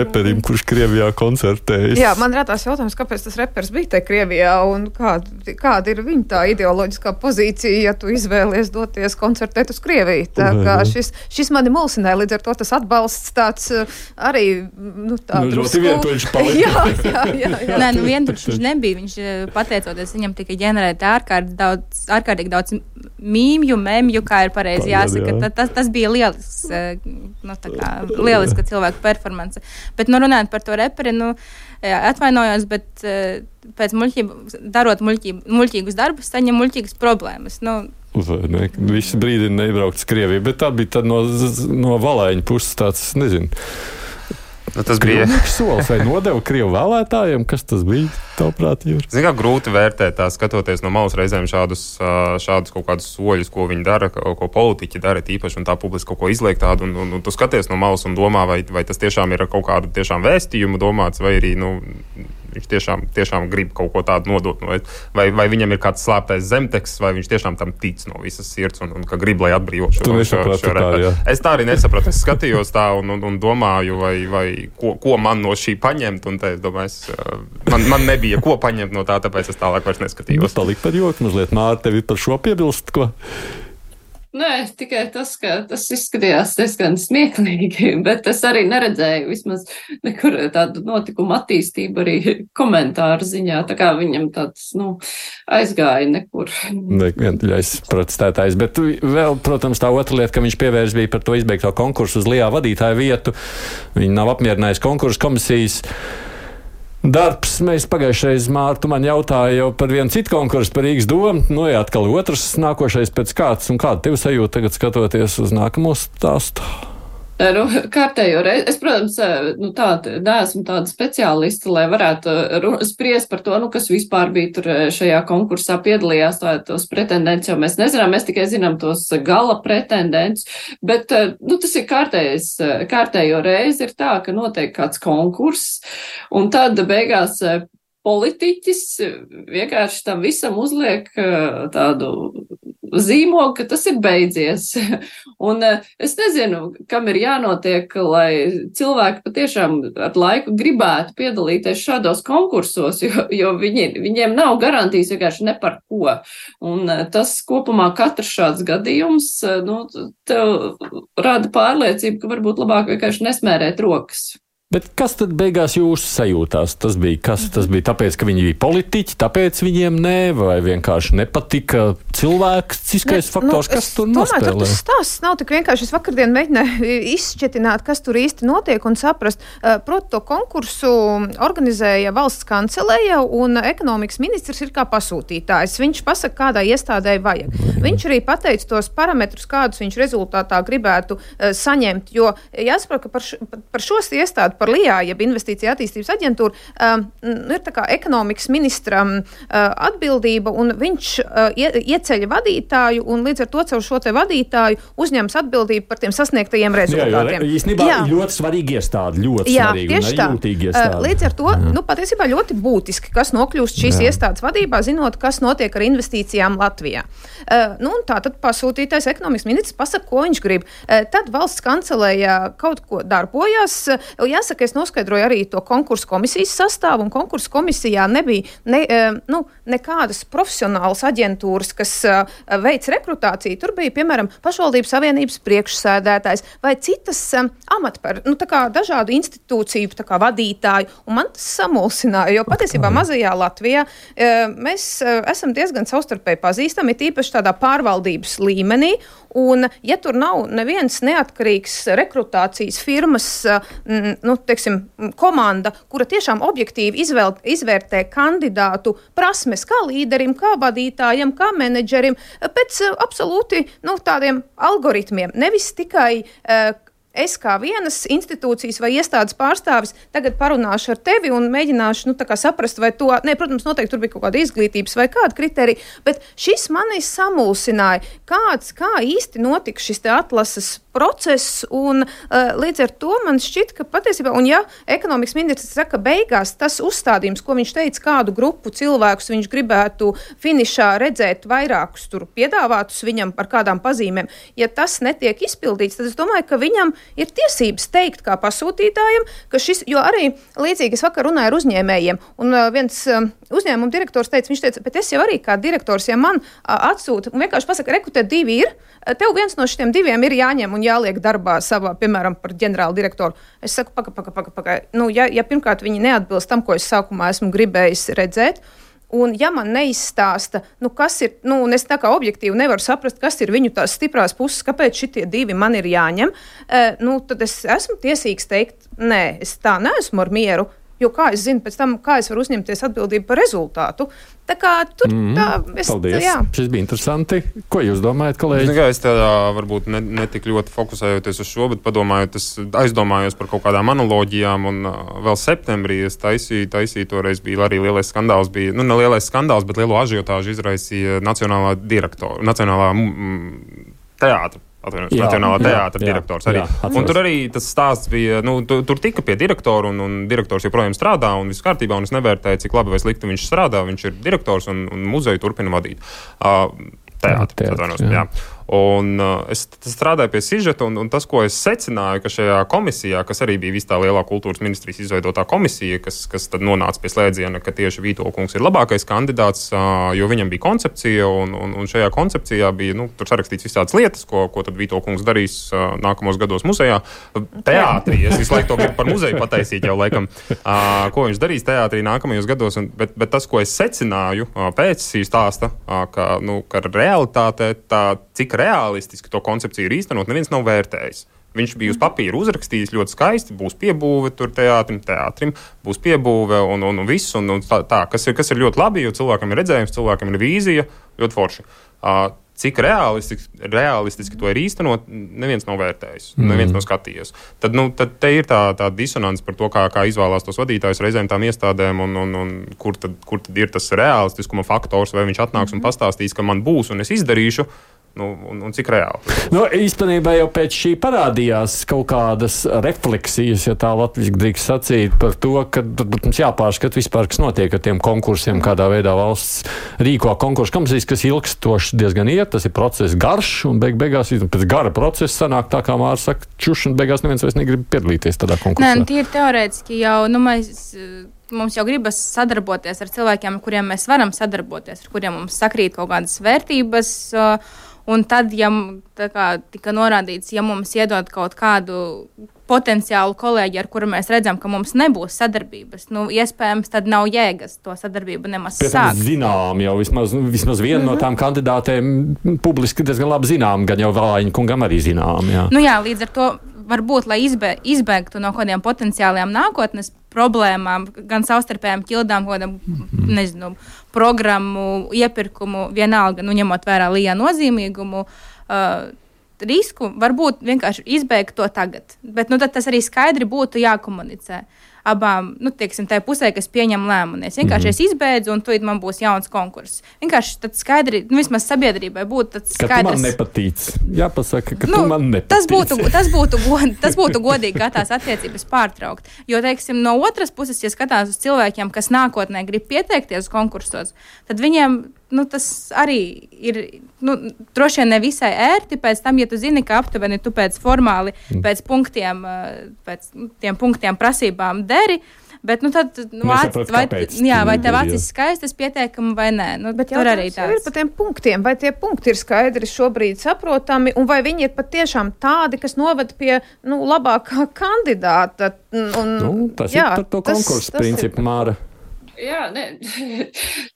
reperim, kurš Krievijā koncertējas. Jā, man rādās jautājums, kāpēc tas reperis bija te Krievijā un kāda, kāda ir viņa tā ideoloģiskā pozīcija, ja tu izvēlies doties koncertēt uz Krieviju. Tā kā šis, šis mani mulsināja, līdz ar to tas atbalsts tāds arī, nu, tā nu, drusku. Ļoti vientuļš palika. jā, jā, jā, jā. Nē, nu vientuļš viņš nebija. Viņš, pateicoties, viņam tika ģenerēt ārkārt daudz, ārkārtīgi daudz mīmju, memju, kā ir pareizi jāsaka. Jā. Tas, tas bija lielisks, nu, tā kā lieliska cilvēku performance. Bet, nu, runājot par to reperi, nu, atvainojos, bet pēc muļķību, darot muļķību, muļķīgus darbus, saņem muļķīgas problēmas. Nu, Vai ne? Visi brīdi nebraukt uz Krieviju, bet tā bija tad no, no Valaiņa puses tāds, nezinu, Nu, tas bija solis vai nodeva Krievu vēlētājiem, kas tas bija, tavuprāt, Jūri? Zin kā grūti vērtēt tā, skatoties no malas reizēm šādus, šādus kaut kādus soļus, ko viņi dara, ko politiķi dara tīpaši, un tā publiski kaut ko izliek tādu, un, un, un tu skaties no malas un domā, vai, vai tas tiešām ir kaut kādu tiešām vēstījumu domāts, vai arī, nu, viņš tiešām, tiešām grib kaut ko tādu nodot, vai, vai, vai viņam ir kāds slēptais zemteksts, vai viņš tiešām tam tic no visas sirds un, un ka grib, lai atbrīvo šo, šo, šo reperu. Es tā arī nesapratu, es skatījos tā un, un, un domāju, vai, vai ko, ko man no šī paņemt, un te es domāju, es, man, man nebija ko paņemt no tā, tāpēc es tālāk vairs neskatījos. Palika par joku mazliet, Māra, tevi par šo piebilst, ko? Nē, tikai tas, ka tas izskatījās diezgan smieklīgi, bet es arī neredzēju vismaz nekur tādu notikumu attīstību arī komentāru ziņā, tā kā viņam tāds, nu, aizgāja nekur. Ne, vientuļais protestētājs, bet vēl, protams, tā otra lieta, ka viņš pievērs bija par to izbeigto konkursu uz Lijā vadītāju vietu. Viņi nav apmierinājuši konkursu komisijas darbs. Mēs pagājušais, Māra, tu man jautāji jau par vienu citu konkursu par Rīgas domu. Nu, jā, atkal otrs nākošais pēc kāds, un kāda tev sajūta tagad skatoties uz nākamo stāstu? Nu, kārtējo reizi. Es, protams, nu, tāda, neesmu tāda speciālista, lai varētu spriest par to, nu, kas vispār bija tur šajā konkursā piedalījās, tā, tos pretendents, jo mēs nezinām, mēs tikai zinām tos gala pretendents, bet, nu, tas ir kārtējais, kārtējo reizi ir tā, ka notiek kāds konkurss, un tad beigās politiķis vienkārši tam visam uzliek tādu zīmogu, ka tas ir beidzies. Un es nezinu, kam ir jānotiek, lai cilvēki patiešām ar laiku gribētu piedalīties šādos konkursos, jo, jo viņi, viņiem nav garantijas vienkārši ne par ko. Un tas kopumā katrs šāds gadījums, nu, tev rada pārliecību, ka varbūt labāk vienkārši nesmērēt rokas. Bet kas tad beigās jūsu sajūtās? Tas bija, kas tas bija tāpēc, ka viņi bija politiķi, tāpēc viņiem nē, vai vienkārši nepatika cilvēciskais ne, faktors, nu, kas tur nospēlē? Domāju, tas stāsts nav tik vienkārši. Es vakardien mēģināju izšķetināt, kas tur īsti notiek un saprast. Proti, to konkursu organizēja valsts kanceleja un ekonomikas ministrs ir kā pasūtītājs. Viņš pasaka, kādai iestādēji vajag. Viņš arī pateica tos parametrus, kādus viņš rezultātā gribētu uh, saņemt, jo jāsaprot, ka par, š, par šos iestādu par L I A, jeb Investīcija attīstības aģentūru, um, ir tā kā ekonomikas ministram uh, atbildība, un viņš uh, ie, ieceļ vadītāju, un līdz ar to caur šo te vadītāju uzņems atbildību par tiem sasniegtajiem rezultātiem. Jā, jo īstenībā jā. ļoti svarīgi iestādi, ļoti jā, svarīgi un jūtīgi iestādi. Uh, līdz ar to, jā. nu, patiesībā ļoti būtiski, kas nokļūst šīs jā. iestādes vadībā, zinot, kas notiek ar investīcijām Latvijā. Uh, nu, un tā tad pasūtītais ekonomikas ministrs pasaka, ko viņš grib. Uh, tad valsts kancelējā kaut ko darbojās. Uh, jāsaka, es noskaidroju arī to konkursu komisijas sastāvu, un konkursu komisijā nebija ne, uh, nu, nekādas profesionālas aģentūras, kas uh, veic rekrutāciju. Tur bija, piemēram, pašvaldības savienības priekšsēdētājs vai citas um, amatper, nu, tā kā dažādu institūciju tā kā vadītāju, un man tas samulsināja, jo patiesībā mazajā Latvijā uh, mēs uh, esam diezgan savstarpēji pazīstami, tīpaši tādā pārvaldības līmenī, un ja tur nav neviens neatkarīgs rekrutācijas firmas, m, nu, teiksim, komanda, kura tiešām objektīvi izvēl, izvērtē kandidātu prasmes kā līderim, kā vadītājam, kā menedžerim, pēc absolūti, nu, tādiem algoritmiem, nevis tikai uh, es kā vienas institūcijas vai iestādes pārstāvis tagad parunāšu ar tevi un mēģināšu, nu, tā kā saprast, vai to, ne, protams, noteikti tur bija kaut kāda izglītības vai kāda kriterija, bet šis mani samulsināja, kāds, kā īsti notika šis te atlases process, un uh, līdz ar to man šķiet, ka patiesībā, un ja ekonomikas ministrs saka beigās, tas uzstādījums, ko viņš teica, kādu grupu cilvēkus viņš gribētu finišā redzēt vairākus tur piedāvātus viņam par kādām pazīmēm, ja tas netiek izpildīts, tad es domāju, ka viņam ir tiesības teikt kā pasūtītājiem, ka šis, jo arī līdzīgi es vakar runāju ar uzņēmējiem, un uh, viens uh, uzņēmuma direktors teica, viņš teica, bet es jau arī kā direktors, ja man uh, atsūta, un vienkārši pasaka, reku, te divi ir, tev viens no šitiem diviem ir jāņem un jāliek darbā savā, piemēram, par ģenerālu direktoru. Es saku, paka, paka, paka, paka. Nu, ja, ja pirmkārt viņi neatbilst tam, ko es sākumā esmu gribējis redzēt, un ja man neizstāsta, nu, kas ir, nu, un es tā kā objektīvi nevaru saprast, kas ir viņu tās stiprās puses, kāpēc šitie divi man ir jāņem, eh, nu, tad es esmu tiesīgs teikt, nē, es tā neesmu ar mieru, jo kā es zinu pēc tam, kā es varu uzņemties atbildību par rezultātu. Tā kā tur mm, tā... Es, paldies, jā. Šis bija interesanti. Ko jūs domājat, kolēģi? Es tādā varbūt ne, ne tik ļoti fokusējoties uz šo, bet padomājot, es aizdomājos par kaut kādām analoģijām, un uh, vēl septembrī es taisīju, taisīju toreiz bija arī lielais skandāls, bija, nu ne lielais skandāls, bet lielo ažiotāžu izraisīja Nacionālā direktora, Nacionālā mm, teātra. Atvainojos, Nacionālā teātra direktors arī. Jā, un tur arī tas stāsts bija, nu, tu, tur tika pie direktora, un, un direktors joprojām strādā, un viss kārtībā, un es nevērtēju, cik labi vai slikti viņš strādā, viņš ir direktors, un, un muzeju turpina vadīt. Uh, teātri, atvainojos, jā. jā. Un uh, es strādāju pie sižeta, un, un tas, ko es secināju, ka šajā komisijā, kas arī bija vis tā lielā kultūras ministrijas izveidotā komisija, kas, kas tad nonāca pie slēdziena, ka tieši Vītolkungs ir labākais kandidāts, uh, jo viņam bija koncepcija, un, un, un šajā koncepcijā bija, nu, tur sarakstīts visādas lietas, ko, ko tad Vītolkungs darīs uh, nākamos gados muzejā. Teātrī, es visu laiku to gribu par muzeju pataisīt jau laikam, uh, ko viņš darīs teātrī nākamajos gados, un, bet, bet tas, ko es secināju uh, pēc šī stāsta, uh, ka, nu, ka realitāte tā, cik realistiski to koncepciju ir īstenot, neviens nav vērtējis. Viņš bija uz papīra uzrakstījis ļoti skaisti, būs piebūve tur teātrim, teātrim, būs piebūve un, un, un viss, un, un tā, tā kas, ir, kas ir ļoti labi, jo cilvēkam ir redzējums, cilvēkam ir vīzija, ļoti forši. Uh, cik realistiski, realistiski to ir īstenot, neviens nav vērtējis, mm. neviens nav skatījies. Tad, nu, tad te ir tā, tā disonance par to, kā, kā izvēlās tos vadītājus reizēm tām iestādēm, un, un, un kur, tad, kur tad ir tas realistiskuma faktors, vai viņš atnāks un pastāstīs, ka man būs un es izdarīšu, nu, un, un cik reāli. Nu, īstenībā jau pēc šī parādījās kaut kādas refleksijas, ja tā latviski drīkst sacīt, par to, ka mums jāpārskat vispār, kas notiek ar tiem konkursiem, kādā veidā valsts rīko konkursu komisijas, kas ilgstoši diezgan iet, tas ir process garš, un beig beigās pēc gara procesa sanāk tā, kā Mārs saka, čuš, un beigās neviens vairs negrib piedalīties tādā konkursā. Nē, tīri teorētiski jau, nu, mēs... Mums jau gribas sadarboties ar cilvēkiem, ar kuriem mēs varam sadarboties, ar kuriem mums sakrīt kaut kādas vērtības. Un tad, ja tā kā tika norādīts, ja mums iedod kaut kādu potenciālu kolēģi, ar kuru mēs redzam, ka mums nebūs sadarbības, nu, iespējams, tad nav jēgas to sadarbību nemaz sākt. Zinām jau vismaz, vismaz viena mm-hmm. no tām kandidātēm publiski diezgan labi zinām, gan jau Valāņa kungam arī zinām. Jā. Nu jā, līdz ar to varbūt, lai izbē, izbēgtu no kādiem potenciāliem nākotnes problēmām, gan savstarpējām ķildām, kādam, mm-hmm. nezinu, programmu, iepirkumu, vienalga, nu, ņemot vērā L I A nozīmīgumu, uh, risku, varbūt vienkārši izbeigt to tagad. Bet nu, tad tas arī skaidri būtu jākomunicē abām, nu, tieksim, tai pusē, kas pieņem lēmumu. Es vienkārši mm-hmm. es izbeidzu, un tad man būs jauns konkurss. Vienkārši tad skaidri, nu, vismaz sabiedrībai būtu tāds skaidrs. Ka tu man nepatīc. Jāpasaka, ka nu, tu man nepatīc. Tas būtu, tas būtu, god, tas būtu godīgi, kā tās attiecības pārtraukt. Jo, teiksim, no otras puses, ja skatās uz cilvēkiem, kas nākotnē grib pieteikties konkursos, tad viņiem, nu, tas arī ir, nu, droši vien ne visai ērti pēc tam, ja tu zini, ka aptuveni tu pēc formāli, pēc punktiem, pēc tiem punktiem prasībām deri, bet, nu, tad, nu, Nesaprot, vai, jā, vai tev ir, acis skaistas pieteikumi vai nē. Nu, bet tur arī tāds. Ir par tiem punktiem, vai tie punkti ir skaidri šobrīd saprotami, un vai viņi ir patiešām tādi, kas noved pie, nu, labākā kandidāta. Un, nu, tas jā, ir par to konkursu principu, Māra. Jā, ne,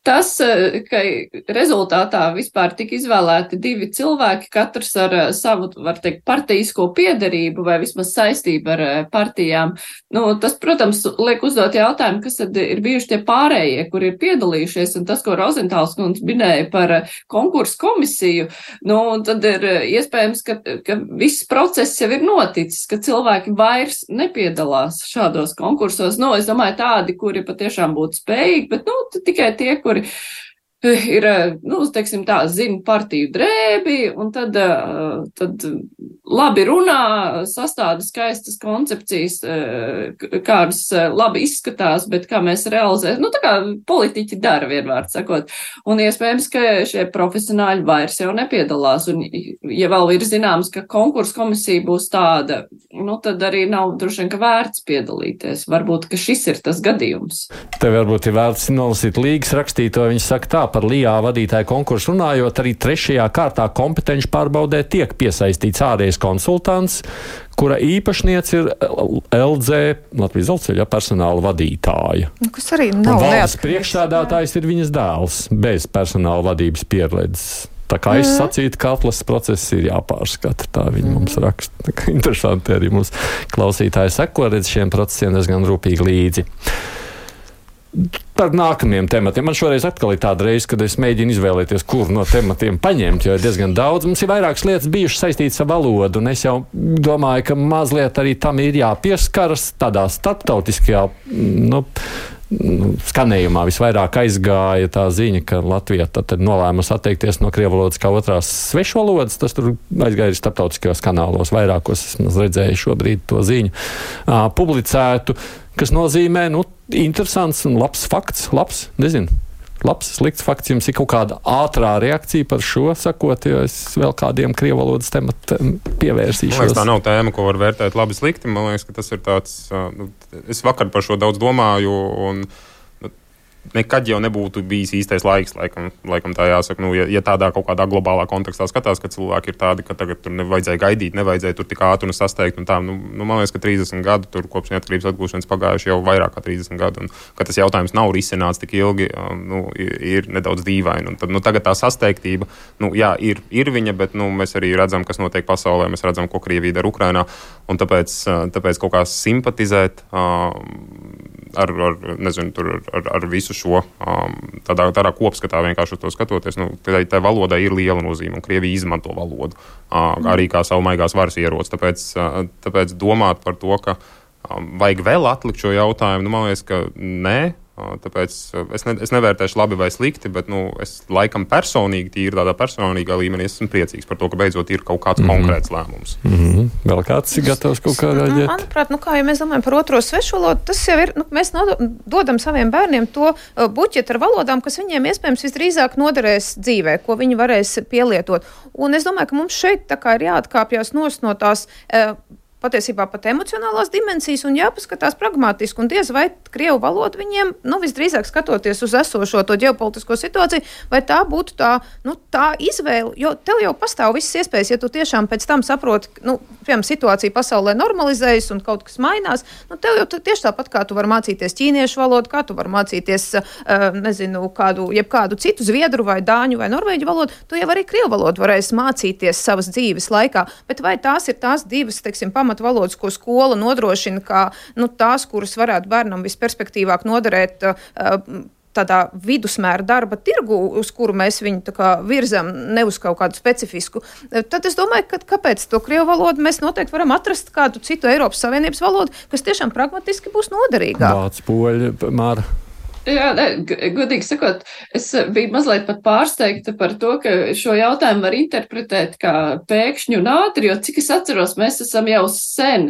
tas, ka rezultātā vispār tika izvēlēti divi cilvēki, katrs ar savu, var teikt, partijisko piederību vai vismaz saistību ar partijām. Nu, tas, protams, liek uzdot jautājumu, kas tad ir bijuši tie pārējie, kur ir piedalījušies, un tas, ko Rozentāls kundze minēja par konkursu komisiju, nu, tad ir iespējams, ka, ka viss process jau ir noticis, ka cilvēki vairs nepiedalās šādos konkursos. Nu, es domāju, tādi, kuri patiešām būtu spējīgi, bet, nu, tikai tie, kuri ir, nu, teiksim tā, zina partiju drēbi, un tad, tad labi runā, sastāda skaistas koncepcijas, kādas labi izskatās, bet kā mēs realizējam, nu, tā kā politiķi dara, vienmēr sakot. Un iespējams, ka šie profesionāļi vairs jau nepiedalās, un ja vēl ir zināms, ka konkursu komisija būs tāda, nu, tad arī nav droši vien, ka vērts piedalīties. Varbūt, ka šis ir tas gadījums. Tev varbūt ir vērts nolasīt līgas rakstīto, viņš saka tā, par L I A vadītāju konkursu runājot, arī trešajā kārtā kompetenci pārbaudē tiek piesaistīts ārējais konsultants, kura īpašniece ir L Z, Latvijas dzelzceļa personāla vadītāja. Kas arī nav valsts priekšsēdētājs ir viņas dēls, bez personāla vadības pieredzes. Tā kā es sacītu, ka atlases process ir jāpārskata, tā viņi mums raksta. Tā kā interesanti arī mums klausītāji seko redz šiem procesiem diezgan rūpīgi līdzi. Par nākamajiem tematiem. Man šoreiz atkal ir tāda reize, kad es mēģinu izvēlēties, kur no tematiem paņemt, jo ir diezgan daudz. Mums ir vairākas lietas bijušas saistītas ar valodu, un es jau domāju, ka mazliet arī tam ir jāpieskaras tādā starptautiskajā, nu, skanējumā visvairāk aizgāja tā ziņa, ka Latvija tad nolēmusi atteikties no krievu valodas kā otrās svešvalodas. Tas tur aizgāja starptautiskajos kanālos, vairākos es redzēju šobrīd to ziņu uh, publicētu, kas nozīmē, nu, interesants un labs fakts, labs, nezinu, labs, slikts fakts. Jums ir kaut kāda ātrā reakcija par šo, sakot, jo es vēl kādiem krievu valodas tematiem pievērsīšos. Man liekas, tā nav tēma, ko var vērtēt labi slikti. Man liekas, ka tas ir tāds, nu, es vakar par šo daudz domāju, un nekad jau nebūtu bijis īstais laiks, laikam, laikam tā jāsaka. Nu, ja, ja tādā kaut kādā globālā kontekstā skatās, ka cilvēki ir tādi, ka tagad tur nevajadzēja gaidīt, nevajadzēja tur tik ātri un sasteigt un tā. Nu, nu, man liekas, ka trīsdesmit gadu tur kopš neatkarības atgūšanas pagājuši jau vairāk kā trīsdesmit gadu, un ka tas jautājums nav risināts tik ilgi, nu, ir, ir nedaudz dīvaini. Un tad, nu, tagad tā sasteigtība, nu, jā, ir, ir viņa, bet, nu, mēs arī redzam, kas notiek pasaulē, mēs redzam, ko Krievija dara Ukrainā, un tāpēc, tāpēc kaut kā simpatizēt ar, ar, nezinu, tur, ar, ar visu šo um, tādā, tādā kopskatā vienkārši uz to skatoties. Nu, tā, tā valodai ir liela nozīme, un Krievija izmanto valodu uh, arī kā savu maigās varas ieroci. Tāpēc, uh, tāpēc domāt par to, ka um, vajag vēl atlikt šo jautājumu, nu, man liekas, ka nē. Tāpēc es, ne, es nevērtēšu labi vai slikti, bet, nu, es laikam personīgi, tīri tādā personīgā līmenī, esmu priecīgs par to, ka beidzot ir kaut kāds mm-hmm. konkrēts lēmums. Mm-hmm. Vēl kāds ir gatavs kaut kā rāģēt? Manuprāt, nu, kā ja mēs domājam par otro svešvalodu, tas jau ir, nu, mēs dodam saviem bērniem to uh, buķetu ar valodām, kas viņiem iespējams visdrīzāk noderēs dzīvē, ko viņi varēs pielietot. Un es domāju, ka mums šeit tā kā ir jāatkāpjas nos no tās uh, patiesībā pat emocionālās dimensijas un jāpaskatās pragmatiski. Un diez vai krievu valoda viņiem, nu, visdrīzāk skatoties uz esošo to ģeopolitisko situāciju, vai tā būtu tā, nu, tā izvēle, jo tev jau pastāv visas iespējas, ja tu tiešām pēc tam saproti, nu, piemēram, situācija pasaulē normalizējas un kaut kas mainās, nu, tev jau tieši tāpat, kā tu vari mācīties ķīniešu valodu, kā tu vari mācīties, uh, nezinu, kādu, jebkādu citu zviedru vai dāņu vai norvēģu valodu, tu jau arī krievu valodu varēsi mācīties savas dzīves laikā, bet vai tās ir tās divas, teiksim, pamat valodas, ko skola nodrošina, kā, nu, tās, kuras varētu bērnam visperspektīvāk noderēt uh, tādā vidusmēra darba tirgu, uz kuru mēs viņu tā kā virzam, ne uz kaut kādu specifisku, tad es domāju, ka kāpēc to krievu valodu mēs noteikti varam atrast kādu citu Eiropas Savienības valodu, kas tiešām pragmatiski būs noderīgāk. Vācu, poļu, Māra. Jā, ne, godīgi sakot, es biju mazliet pat pārsteigta par to, ka šo jautājumu var interpretēt kā pēkšņu un ātri, jo cik es atceros, mēs esam jau sen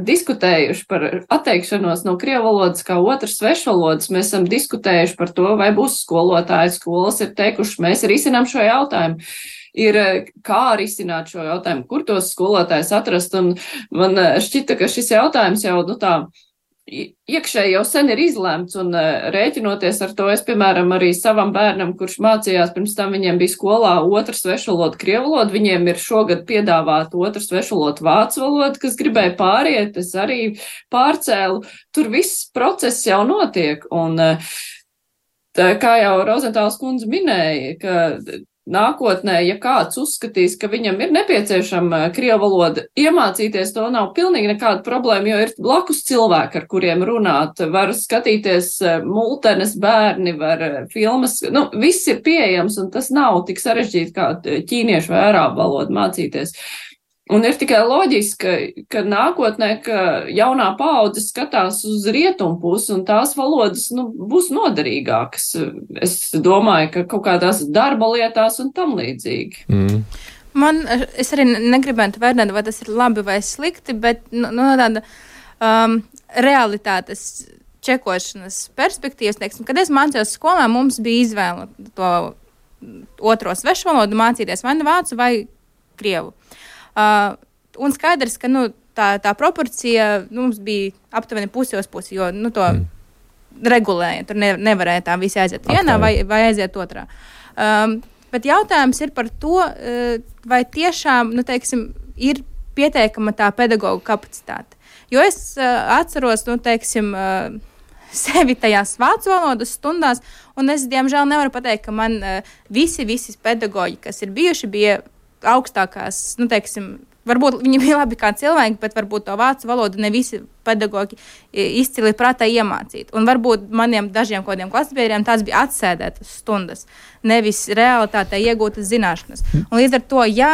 diskutējuši par atteikšanos no krievu valodas kā otras svešvalodas. Mēs esam diskutējuši par to, vai būs skolotāji, skolas ir teikuši, mēs risinām šo jautājumu. Ir kā risināt šo jautājumu, kur tos skolotājus atrast, un man šķita, ka šis jautājums jau, nu tā, iekšēji jau sen ir izlemts, un rēķinoties ar to, es, piemēram, arī savam bērnam, kurš mācījās, pirms tam viņiem bija skolā otra svešvaloda krievu valoda, viņiem ir šogad piedāvāt otra svešvaloda vācu valoda, kas gribēja pāriet, es arī pārcēlu, tur viss process jau notiek, un tā, kā jau Rozentāls kundze minēja, ka nākotnē, ja kāds uzskatīs, ka viņam ir nepieciešama krievu valoda, iemācīties to nav pilnīgi nekāda problēma, jo ir blakus cilvēki, ar kuriem runāt, var skatīties multenes bērni, var filmas, nu, viss ir pieejams, un tas nav tik sarežģīti kā ķīniešu vai arābu valodu mācīties. Un ir tikai loģiski, ka, ka nākotnē, ka jaunā paudze skatās uz rietumu pusi un tās valodas, nu, būs noderīgākas. Es domāju, ka kaut kādās darba lietās un tam līdzīgi. Mm. Man, es arī negribētu vērtēt, vai tas ir labi vai slikti, bet no, no tāda um, realitātes čekošanas perspektīvas, teiksim, kad es mācījos skolā, mums bija izvēle to otro svešvalodu mācīties vai nu vācu vai krievu. Uh, un skaidrs, ka nu, tā, tā proporcija nu, mums bija aptuveni pusi uz pusi, jo nu, to mm. regulēja. Tur ne, nevarēja tā visi aiziet vienā vai, vai aiziet otrā. Um, bet jautājums ir par to, uh, vai tiešām nu, teiksim, ir pietiekama tā pedagoģa kapacitāte. Jo es uh, atceros, nu, teiksim, uh, sevi tajās vācu valodas stundās, un es, diemžēl, nevaru pateikt, ka man uh, visi, visi pedagoģi, kas ir bijuši, bija augstākās, nu, teiksim, varbūt viņi bija labi kā cilvēki, bet varbūt to vācu valodu ne visi pedagoģi izcili prātā iemācīt. Un varbūt maniem dažiem kodiem klasbiedriem tās bija atsēdētas stundas, nevis realitātē iegūtas zināšanas. Un līdz ar to, ja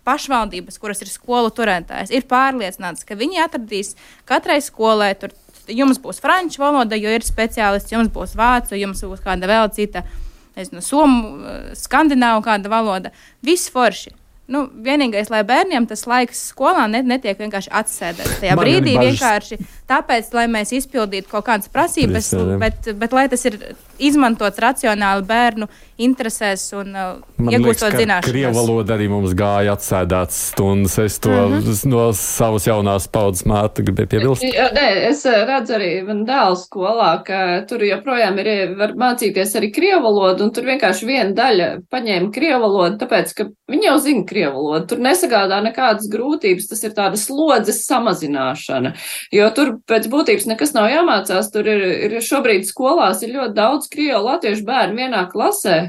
pašvaldības, kuras ir skolu turētājs, ir pārliecināts, ka viņi atradīs katrai skolai, tur jums būs franču valoda, jo ir speciālists, jums būs vācu, jums būs kāda vēl cita, nezinu, somu, skandināvu kāda valoda, viss forši. Nu, vienīgais, lai bērniem tas laiks skolā net, netiek vienkārši atsēdēts. Tajā Man brīdī vienkārši tāpēc, lai mēs izpildītu kaut kādas prasības, bet, bet lai tas ir izmantots racionāli bērnu interesēs un uh, iegūstot zināšanas. Krievu valoda arī mums gāja atsēdētas stundas. Es to mm-hmm. no savas jaunās paudzes Mārta gribēju piebilst. Jā, nē, es redzu arī man dēlu skolā, ka tur joprojām ir, var mācīties arī krievu valodu, un tur vienkārši viena daļa paņēma krievu valodu, tāpēc, ka viņi jau zina krievu valodu. Tur nesagādā nekādas grūtības, tas ir tāda slodzes samazināšana, jo tur pēc būtības nekas nav jāmācās, tur ir, ir šobrīd skolās ir ļoti daudz krievu latviešu bērnu vienā klasē,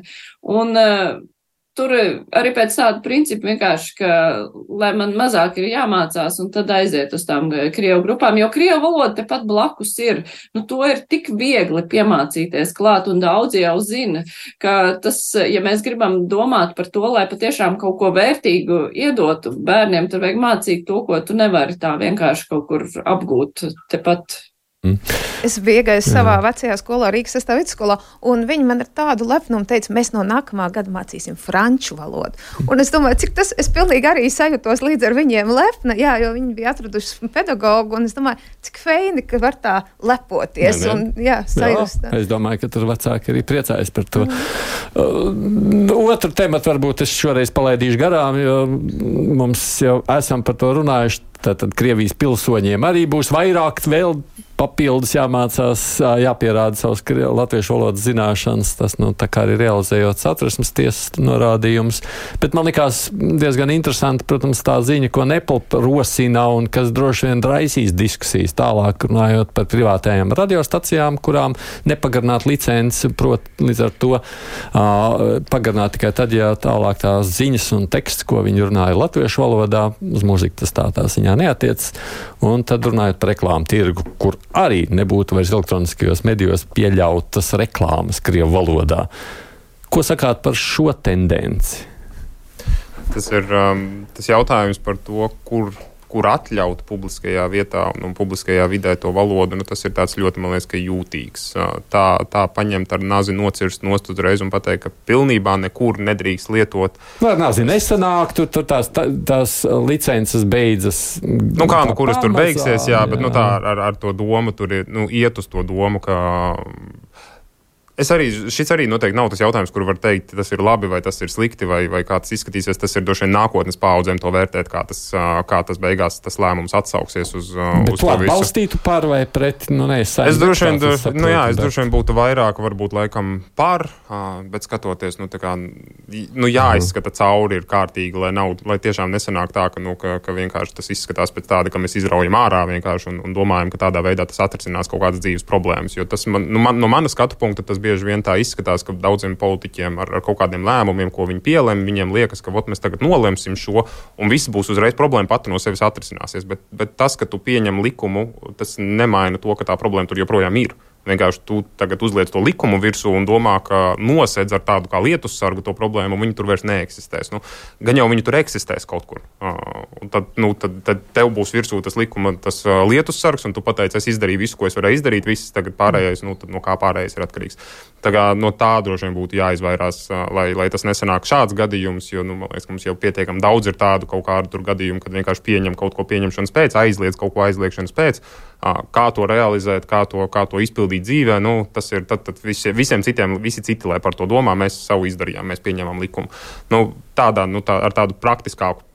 un uh, tur arī pēc tāda principa vienkārši, ka, lai man mazāk ir jāmācās un tad aiziet uz tām krievu grupām, jo krievu valoda tepat blakus ir, nu to ir tik viegli piemācīties klāt, un daudzi jau zina, ka tas, ja mēs gribam domāt par to, lai patiešām kaut ko vērtīgu iedotu bērniem, tur vajag mācīt to, ko tu nevari tā vienkārši kaut kur apgūt tepat. Mm. Es biju iegājis savā vecajā skolā, Rīgas sestā vidusskolā, un viņi man ar tādu lepnumu teica, mēs no nākamā gada mācīsim franču valodu. Un es domāju, cik tas, es pilnīgi arī sajūtos līdz ar viņiem lepna, jā, jo viņi bija atraduši pedagogu, un es domāju, cik feini, ka var tā lepoties. Ne, ne. Un, jā, sajūst. Jā, es domāju, ka tur vecāki arī priecājas par to. Mm. Uh, otru tematu varbūt es šoreiz palaidīšu garām, jo mums jau esam par to runājuši. Tātad Krievijas pilsoņiem arī būs vairāk vēl papildus jāmācās, jāpierāda savas latviešu valodas zināšanas. Tas, nu, tā kā arī realizējot Satversmes tiesas norādījums. Bet man likās diezgan interesanti, protams, tā ziņa, ko Nepal rosina un kas droši vien raisīs diskusijas tālāk, runājot par privātajām radiostacijām, kurām nepagarināt licenci, prot, līdz ar to uh, pagarināt tikai tad, ja tālāk tās ziņas un teksts, ko viņi runāja latviešu valodā, uz mūziku tas tā tā ziņā ziņā neatiecas. Un tad runājot par reklāmu tirgu, kur arī nebūtu vairs elektroniskajos medijos pieļautas reklāmas krievu valodā. Ko sakāt par šo tendenci? Tas ir um, tas jautājums par to, kur kur atļaut publiskajā vietā un, un publiskajā vidē to valodu, nu, tas ir tāds ļoti, man liekas, ka jūtīgs. Tā, tā paņemt ar nazi nocirst nost uzreiz un pateikt, ka pilnībā nekur nedrīkst lietot. Nu, ar nazi nesanāk, tur, tur tās, tā, tās licences beidzas. Nu kā, nu kuras tur beigsies, jā, bet jā. Nu, tā ar, ar to domu, tur ir, nu, iet uz to domu, ka... Es arī, šis arī noteikti nav tas jautājums, kur var teikt, tas ir labi vai tas ir slikti vai, vai kā tas izskatīsies. Tas ir droši vien nākotnes paaudzēm to vērtēt, kā tas, kā tas beigās tas lēmums atsauksies uz, bet uz to visu. Atbalstītu par vai pret? Nu, ne, es es droši vien, es saprotu, nu jā, es bet... droši vien būtu vairāk, varbūt laikam par, bet skatoties, nu tā kā, nu jāizskata cauri ir kārtīgi, lai nav, lai tiešām nesanāk tā, ka, nu, ka, ka vienkārši tas izskatās pēc tāda, ka mēs izraujam ārā vienkārši un, un domājam, ka tādā veidā tas atrisinās kaut kādas dzīves problēmas, jo tas man, nu, man, no mana skatu punkta tas bieži vien tā izskatās, ka daudziem politiķiem ar, ar kaut kādiem lēmumiem, ko viņi pielem, viņiem liekas, ka vot, mēs tagad nolemsim šo, un viss būs uzreiz problēma pati no sevis atrisināsies. Bet, bet tas, ka tu pieņem likumu, tas nemaina to, ka tā problēma tur joprojām ir. Vienkārši tu tagad uzliec to likumu virsū un domā, ka nosedz ar tādu kā lietussargu to problēmu, un viņi tur vairs neeksistēs. Nu, gan jau viņi tur eksistēs kaut kur. Uh, un tad, nu, tad, tad tev būs virsū tas likuma, tas uh, lietussargs, un tu pateici, es izdarīju visu, ko es varēju izdarīt, viss tagad pārējais, nu, tad no kā pārējais ir atkarīgs. Tā kā no tā droši vien būtu jāizvairās, uh, lai, lai tas nesanāk šāds gadījums, jo, nu, man liekas, ka mums jau pietiekam daudz ir tādu kaut kādu tur gadījumu, kad vienkārši pieņem kaut ko pieņemšanas pēc, aizliedz kaut ko aizliekšanas pēc. Kā to realizēt, kā to, kā to izpildīt dzīvē, nu, tas ir tad, tad visi, visiem citiem, visi citi, lai par to domā, mēs savu izdarījām, mēs pieņemam likumu. Nu, tādā, nu, tā, ar tādu praktiskāku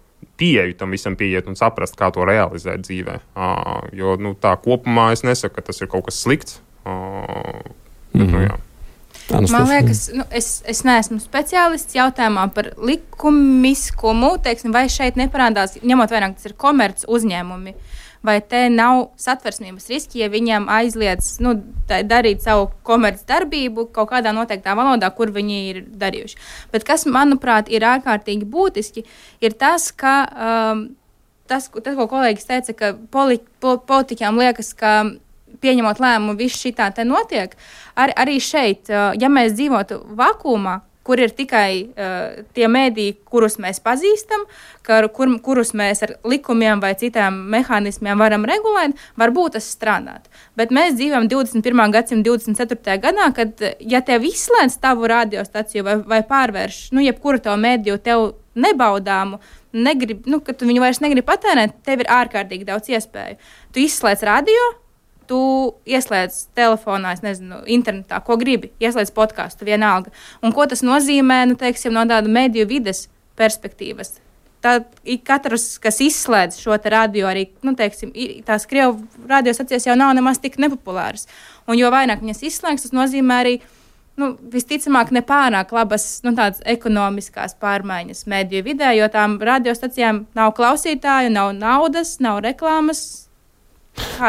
pieeju tam visam pieiet un saprast, kā to realizēt dzīvē. Uh, jo, nu, tā kopumā es nesaku, ka tas ir kaut kas slikts. Uh, bet, mm-hmm. nu, jā. Man liekas, nu, es, es neesmu speciālists jautājumā par likumiskumu, teiksim, vai šeit neparādās, ņemot vērā, ka tas ir komerc uzņēmumi. Vai te nav satversmības riski, ja viņiem aizliedz nu, darīt savu komerc darbību kaut kādā noteiktā valodā, kur viņi ir darījuši. Bet kas, manuprāt, ir ārkārtīgi būtiski, ir tas, ka um, tas, tas, ko kolēģis teica, ka poli, po, politiķām liekas, ka pieņemot lēmumu, viss šitā te notiek. Ar, arī šeit, uh, ja mēs dzīvotu vakumā, kur ir tikai uh, tie mēdīji, kurus mēs pazīstam, kur, kur, kurus mēs ar likumiem vai citām mehānismiem varam regulēt, varbūt tas strādāt. Bet mēs dzīvojam divdesmit pirmā gadsimta divdesmit ceturtajā gadā, kad, ja tev izslēdz tavu radiostaciju vai, vai pārvērš, nu, jebkuru to mēdīju tev nebaudāmu, negrib, nu, ka tu viņu vairs negribi patērēt, tev ir ārkārtīgi daudz iespēju. Tu izslēdz radio, tu ieslēdz telefonā, es nezinu, internetā, ko gribi, ieslēdz podcastu, vienalga. Un ko tas nozīmē, nu, teiksim, no tāda mediju vides perspektīvas? Tad katrs, kas izslēdz šo te radio, arī, nu, teiksim, tās Krievu radiostacijas jau nav nemaz tik nepopulāras. Un jo vairāk viņas izslēgs, tas nozīmē arī, nu, visticamāk, nepārāk labas, nu, tādas ekonomiskās pārmaiņas mediju vidē, jo tām radiostacijām nav klausītāju, nav naudas, nav reklāmas.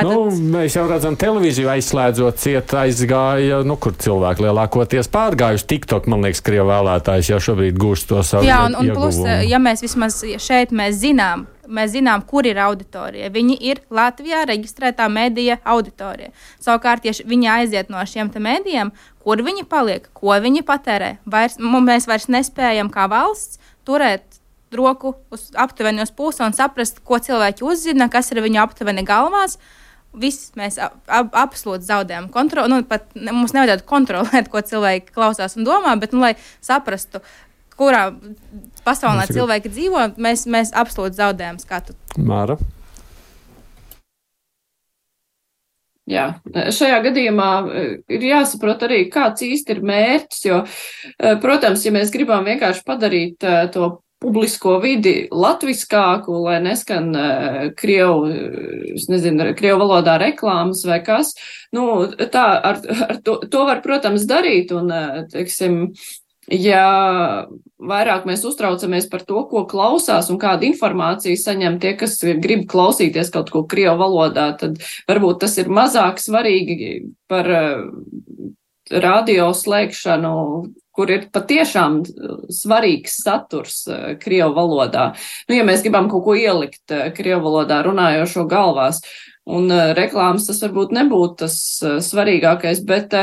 Nu, mēs jau redzam, televīziju aizslēdzot, ciet aizgāja, nu, kur cilvēki lielākoties pārgājuši. TikTok, man liekas, Krievu vēlētājs jau šobrīd gūst to savu Jā, un, un ieguvumu. Plus, ja mēs vismaz šeit mēs zinām, mēs zinām, kur ir auditorija. Viņi ir Latvijā reģistrētā medija auditorija. Savukārt, ja viņi aiziet no šiem te medijiem, kur viņi paliek, ko viņi patērē, vairs, mēs vairs nespējam kā valsts turēt roku uz aptuveni uz pusi un saprast, ko cilvēki uzzina, kas ir viņu aptuveni galvās. Viss mēs ap, ap, absolūti zaudējam kontroli. Nu, pat mums nevajadzētu kontrolēt, ko cilvēki klausās un domā, bet, nu, lai saprastu, kurā pasaulē cilvēki dzīvo, mēs, mēs absolūti zaudējam skatu. Māra? Jā, šajā gadījumā ir jāsaprot arī, kāds īsti ir mērķis, jo, protams, ja mēs gribam vienkārši padarīt to publisko vidi latviskāku, lai neskan uh, Krievu, es nezinu, Krievu valodā reklāmas vai kas, nu, tā, ar, ar to, to var, protams, darīt, un, uh, teiksim, ja vairāk mēs uztraucamies par to, ko klausās un kādu informāciju saņem tie, kas grib klausīties kaut ko Krievu valodā, tad varbūt tas ir mazāk svarīgi par uh, radio slēgšanu, kur ir patiešām svarīgs saturs krievu valodā. Nu, ja mēs gribam kaut ko ielikt krievu valodā runājošo galvās, un reklāmas tas varbūt nebūtu tas svarīgākais, bet,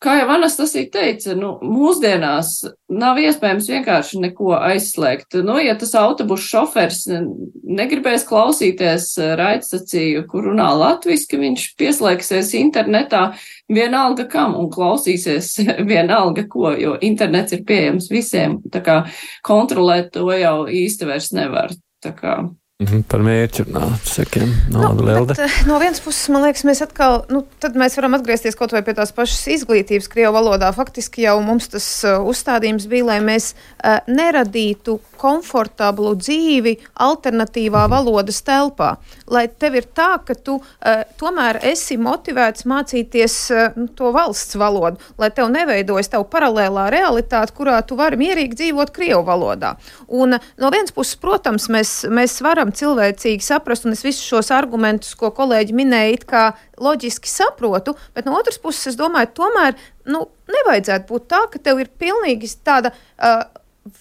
kā jau Anastasija teica, nu, mūsdienās nav iespējams vienkārši neko aizslēgt. Nu, ja tas autobusu šofers negribēs klausīties raidstaciju, kur runā latviski, viņš pieslēgsies internetā vienalga kam un klausīsies vienalga ko, jo internets ir pieejams visiem, tā kā kontrolēt to jau īsti vairs nevar, tā kā. Mm-hmm, par mērķi runāt, sakiem, no, nu, bet, no vienas puses, man liekas, mēs atkal, nu, tad mēs varam atgriezties kaut vai pie tās pašas izglītības krievu valodā. Faktiski jau mums tas uh, uzstādījums bija, lai mēs uh, neradītu komfortablu dzīvi alternatīvā valodas telpā. Lai tev ir tā, ka tu uh, tomēr esi motivēts mācīties uh, to valsts valodu, lai tev neveidojas tev paralēlā realitāte, kurā tu vari mierīgi dzīvot krievu valodā. Un uh, no vienas puses, protams, mēs, mēs varam cilvēcīgi saprast, un es visus šos argumentus, ko kolēģi minēja, it kā loģiski saprotu, bet no otras puses, es domāju, tomēr, nu, nevajadzētu būt tā, ka tev ir pilnīgi tāda uh,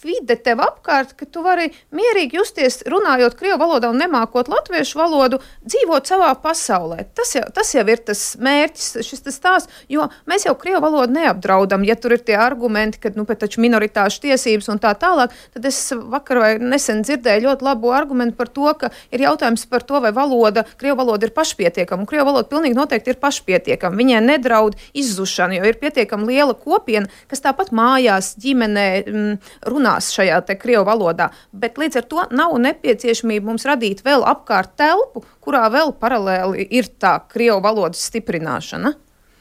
vide tev apkārt, ka tu vari mierīgi justies, runājot krievu valodā un nemākot latviešu valodu, dzīvot savā pasaulē. Tas jau, tas jau ir tas mērķis, šis tas stāsts, jo mēs jau krievu valodu neapdraudam, ja tur ir tie argumenti, ka, nu, pēc taču minoritāšu tiesības un tā tālāk, tad es vakar vai nesen dzirdēju ļoti labu argumentu par to, ka ir jautājums par to, vai valoda, krievu valoda ir pašpietiekama, un krievu valoda pilnīgi noteikti ir pašpietiekama. Viņai nedraud izzušana, jo ir pietiekama liela kopiena, kas tāpat mājās, ģimenē, mm, runās šajā te krievu valodā, bet līdz ar to nav nepieciešamība mums radīt vēl apkārt telpu, kurā vēl paralēli ir tā krievu valodas stiprināšana.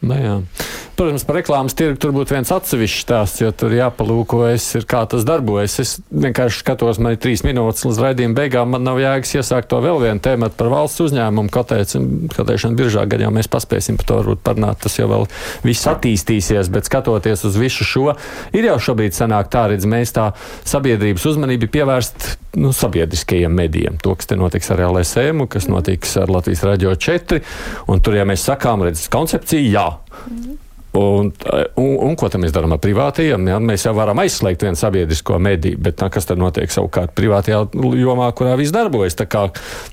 Nu, jā. Protams, par reklāmas tirgu tur būtu viens atsevišķs stāsts, jo tur jāpalūkojas, ir kā tas darbojas. Es vienkārši skatos, man ir trīs minūtes līdz raidījuma beigām, man nav jēgas iesākt to vēl vienu tēmatu par valsts uzņēmumu kotēšanu biržā, gan jau mēs paspēsim par to varbūt parunāt, tas jau vēl viss attīstīsies, bet skatoties uz visu šo, ir jau šobrīd sanāk tā, redz, mēs tā sabiedrības uzmanību pievērst, nu, sabiedriskajiem medijiem. To, kas te notiks ar L S M, kas notiks ar Latvijas Radio četri, un tur, ja mēs sakām, redz, koncepcija, jā. Mm. Un, un, un ko tam mēs darām ar privātajiem? Ja? Mēs jau varam aizslēgt vienu sabiedrisko mediju, bet tā, kas tad notiek savukārt privātajā jomā, kurā viss darbojas? Tā kā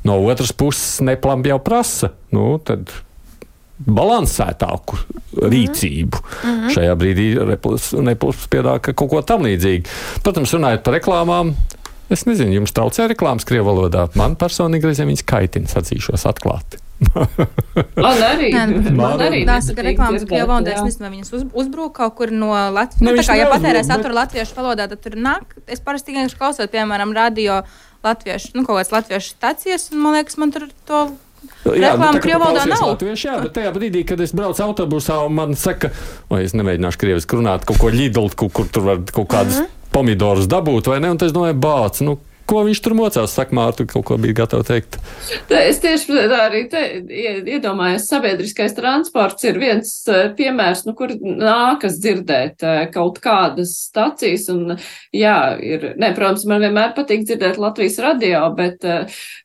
no otras puses neplam jau prasa, nu, tad balansētāku rīcību. Mm-hmm. Šajā brīdī Neplis piedāvā kaut ko tam līdzīgi. Protams, runājot par reklāmām, es nezinu, jums traucē reklāmas krievu valodā. Man personīgi reizēm viņas kaitina, sacīšos atklāti. Man arī. Nē, man arī. Tās reklāmas krievu valodā, es nezinu, vai viņas uz, uzbrūk kaut kur no Latvijas. Nu, tā kā, ja patērē saturu latviešu valodā, tad tur nāk. Es parasti tikai klausot, piemēram, radio latviešu, nu, kaut kāds latviešu stacijas, un man liekas, man tur to reklāma nu, krievu valodā nav. Latviešu, jā, bet tajā brīdī, kad es braucu autobusā un man saka, vai es nemēģināšu krieviski runāt, kaut ko ļidlt, kur, kur tur var kaut kādus mm-hmm. pomidorus dabūt, vai ne, un tad es domāju, bāc, nu, ko viņš tur mocās, saka Mārtu, kaut ko bija gatava teikt. Es tieši tā arī te iedomājos, sabiedriskais transports ir viens piemērs, nu, kur nākas dzirdēt kaut kādas stacijas, un jā, ir, ne, protams, man vienmēr patīk dzirdēt Latvijas radio, bet,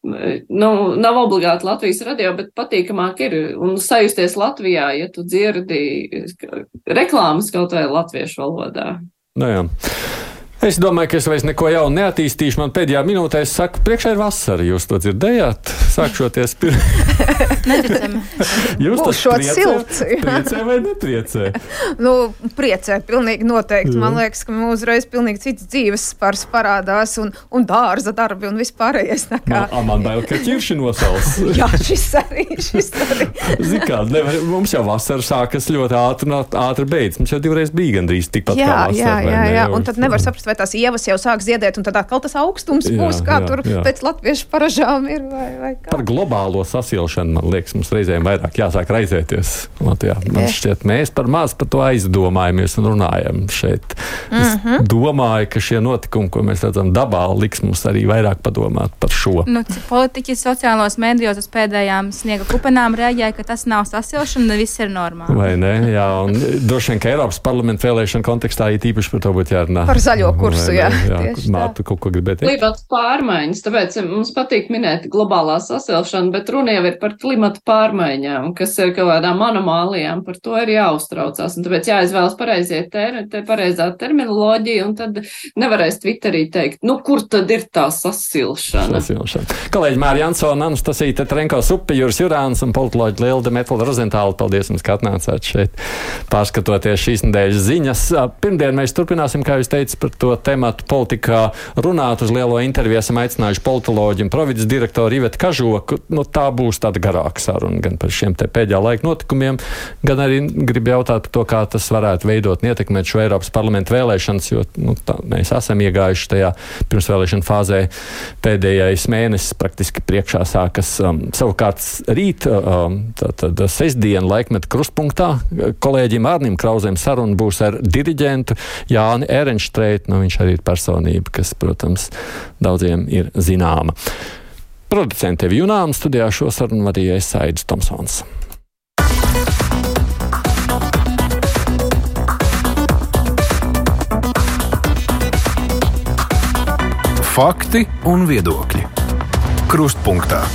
nu, nav obligāti Latvijas radio, bet patīkamāk ir, un sajusties Latvijā, ja tu dzirdi reklāmas kaut vai latviešu valodā. Nu jā. Es domāju, ka es vairs neko jaunu neattīstīšu. Man pēdējā minūtē es saku, priekšā ir vasara. Jūs to dzirdējāt? Sākšoties pirms. Neticami. Jūs tas priecē, silts, priecē vai nepriecē? Nu, priecē, pilnīgi noteikti. Jā. Man liekas, ka mums uzreiz pilnīgi cits dzīves spars parādās un, un dārza darbi un vispārējais. Kā... No, man bail, ka ķirši nosals. Jā, šis arī, šis arī. Zin kā, nevar, mums jau vasara sākas ļoti ātri, ātri beidz. Mums jau divreiz bija gandrīz tikpat jā, kā vasara. Jā, jā, jā, jā. Un tad nevar saprast, vai tās ievas jau sāk ziedēt, un tad atkal tas augstums jā, būs, kā jā, tur jā. Pēc latviešu paražām ir, vai, vai kā. Par globālo sasilšanu, man liekas, mums reizēm vairāk jāsāk raizēties Latvijā. Man šķiet, mēs par maz par to aizdomājamies un runājam šeit. Es mm-hmm. domāju, ka šie notikumi, ko mēs redzam dabā, liks mums arī vairāk padomāt par šo. Nu, politiķi sociālos mēdījos uz pēdējām sniega kupenām reaģēja, ka tas nav sasilšana, viss ir normāli. Vai ne? Jā, un droši vien, ka Eiropas parlamenta vēlēšana kontekstā ir īpaši par to būtu jārunā. Par zaļo kursu, jā. jā, jā Mārta, kaut ko gribēt teikt? Klimata pārmaiņas, tāpēc mums patīk minēt globālā sasilšana, bet runa jau ir par klimata pārmaiņām, kas ir kaut kādām anomālijām, par to ir jāuztraucās, un tāpēc jāizvēlas pareizie ter, te pareizā terminoloģija, un tad nevarēs Twitterī teikt, nu, kur tad ir tā sasilšana? Sasilšana. Kolēģi Māri Jansona, Anastasija Tetrenko, Supi, Juris Jurāns un politoloģi Lilde Metlda Rozentāla. Paldies jums, ka atnācāt šeit, pārskatoties šīs nedēļas ziņas. Pirmdien mēs turpināsim, kā jūs teicat, par to tematu politikā runāt. Uz lielo interviju esam aicinājuši politoloģi un provides direktoru Ivetu Kažoku. Nu, tā būs tāda garāka saruna gan par šiem te pēdējā laika notikumiem, gan arī gribu jautāt par to, kā tas varētu veidot un ietekmēt šo Eiropas parlamentu vēlēšanas, jo nu, tā, mēs esam iegājuši tajā pirmsvēlēšana fāzē. Pēdējais mēnesis praktiski priekšā sākas. Um, savukārt rīt, um, tātad sestdien laikmeta krustpunktā, kolēģim Ārnim Krauzēm saruna būs ar diriģentu Jāni Ehrenštreitu. Nu, viņš arī ir personība, kas, protams, daudziem ir zināma. Producente Junām studijā šo sarunu vadīja Aidis Tomsons. Fakti un viedokļi. Krustpunktā.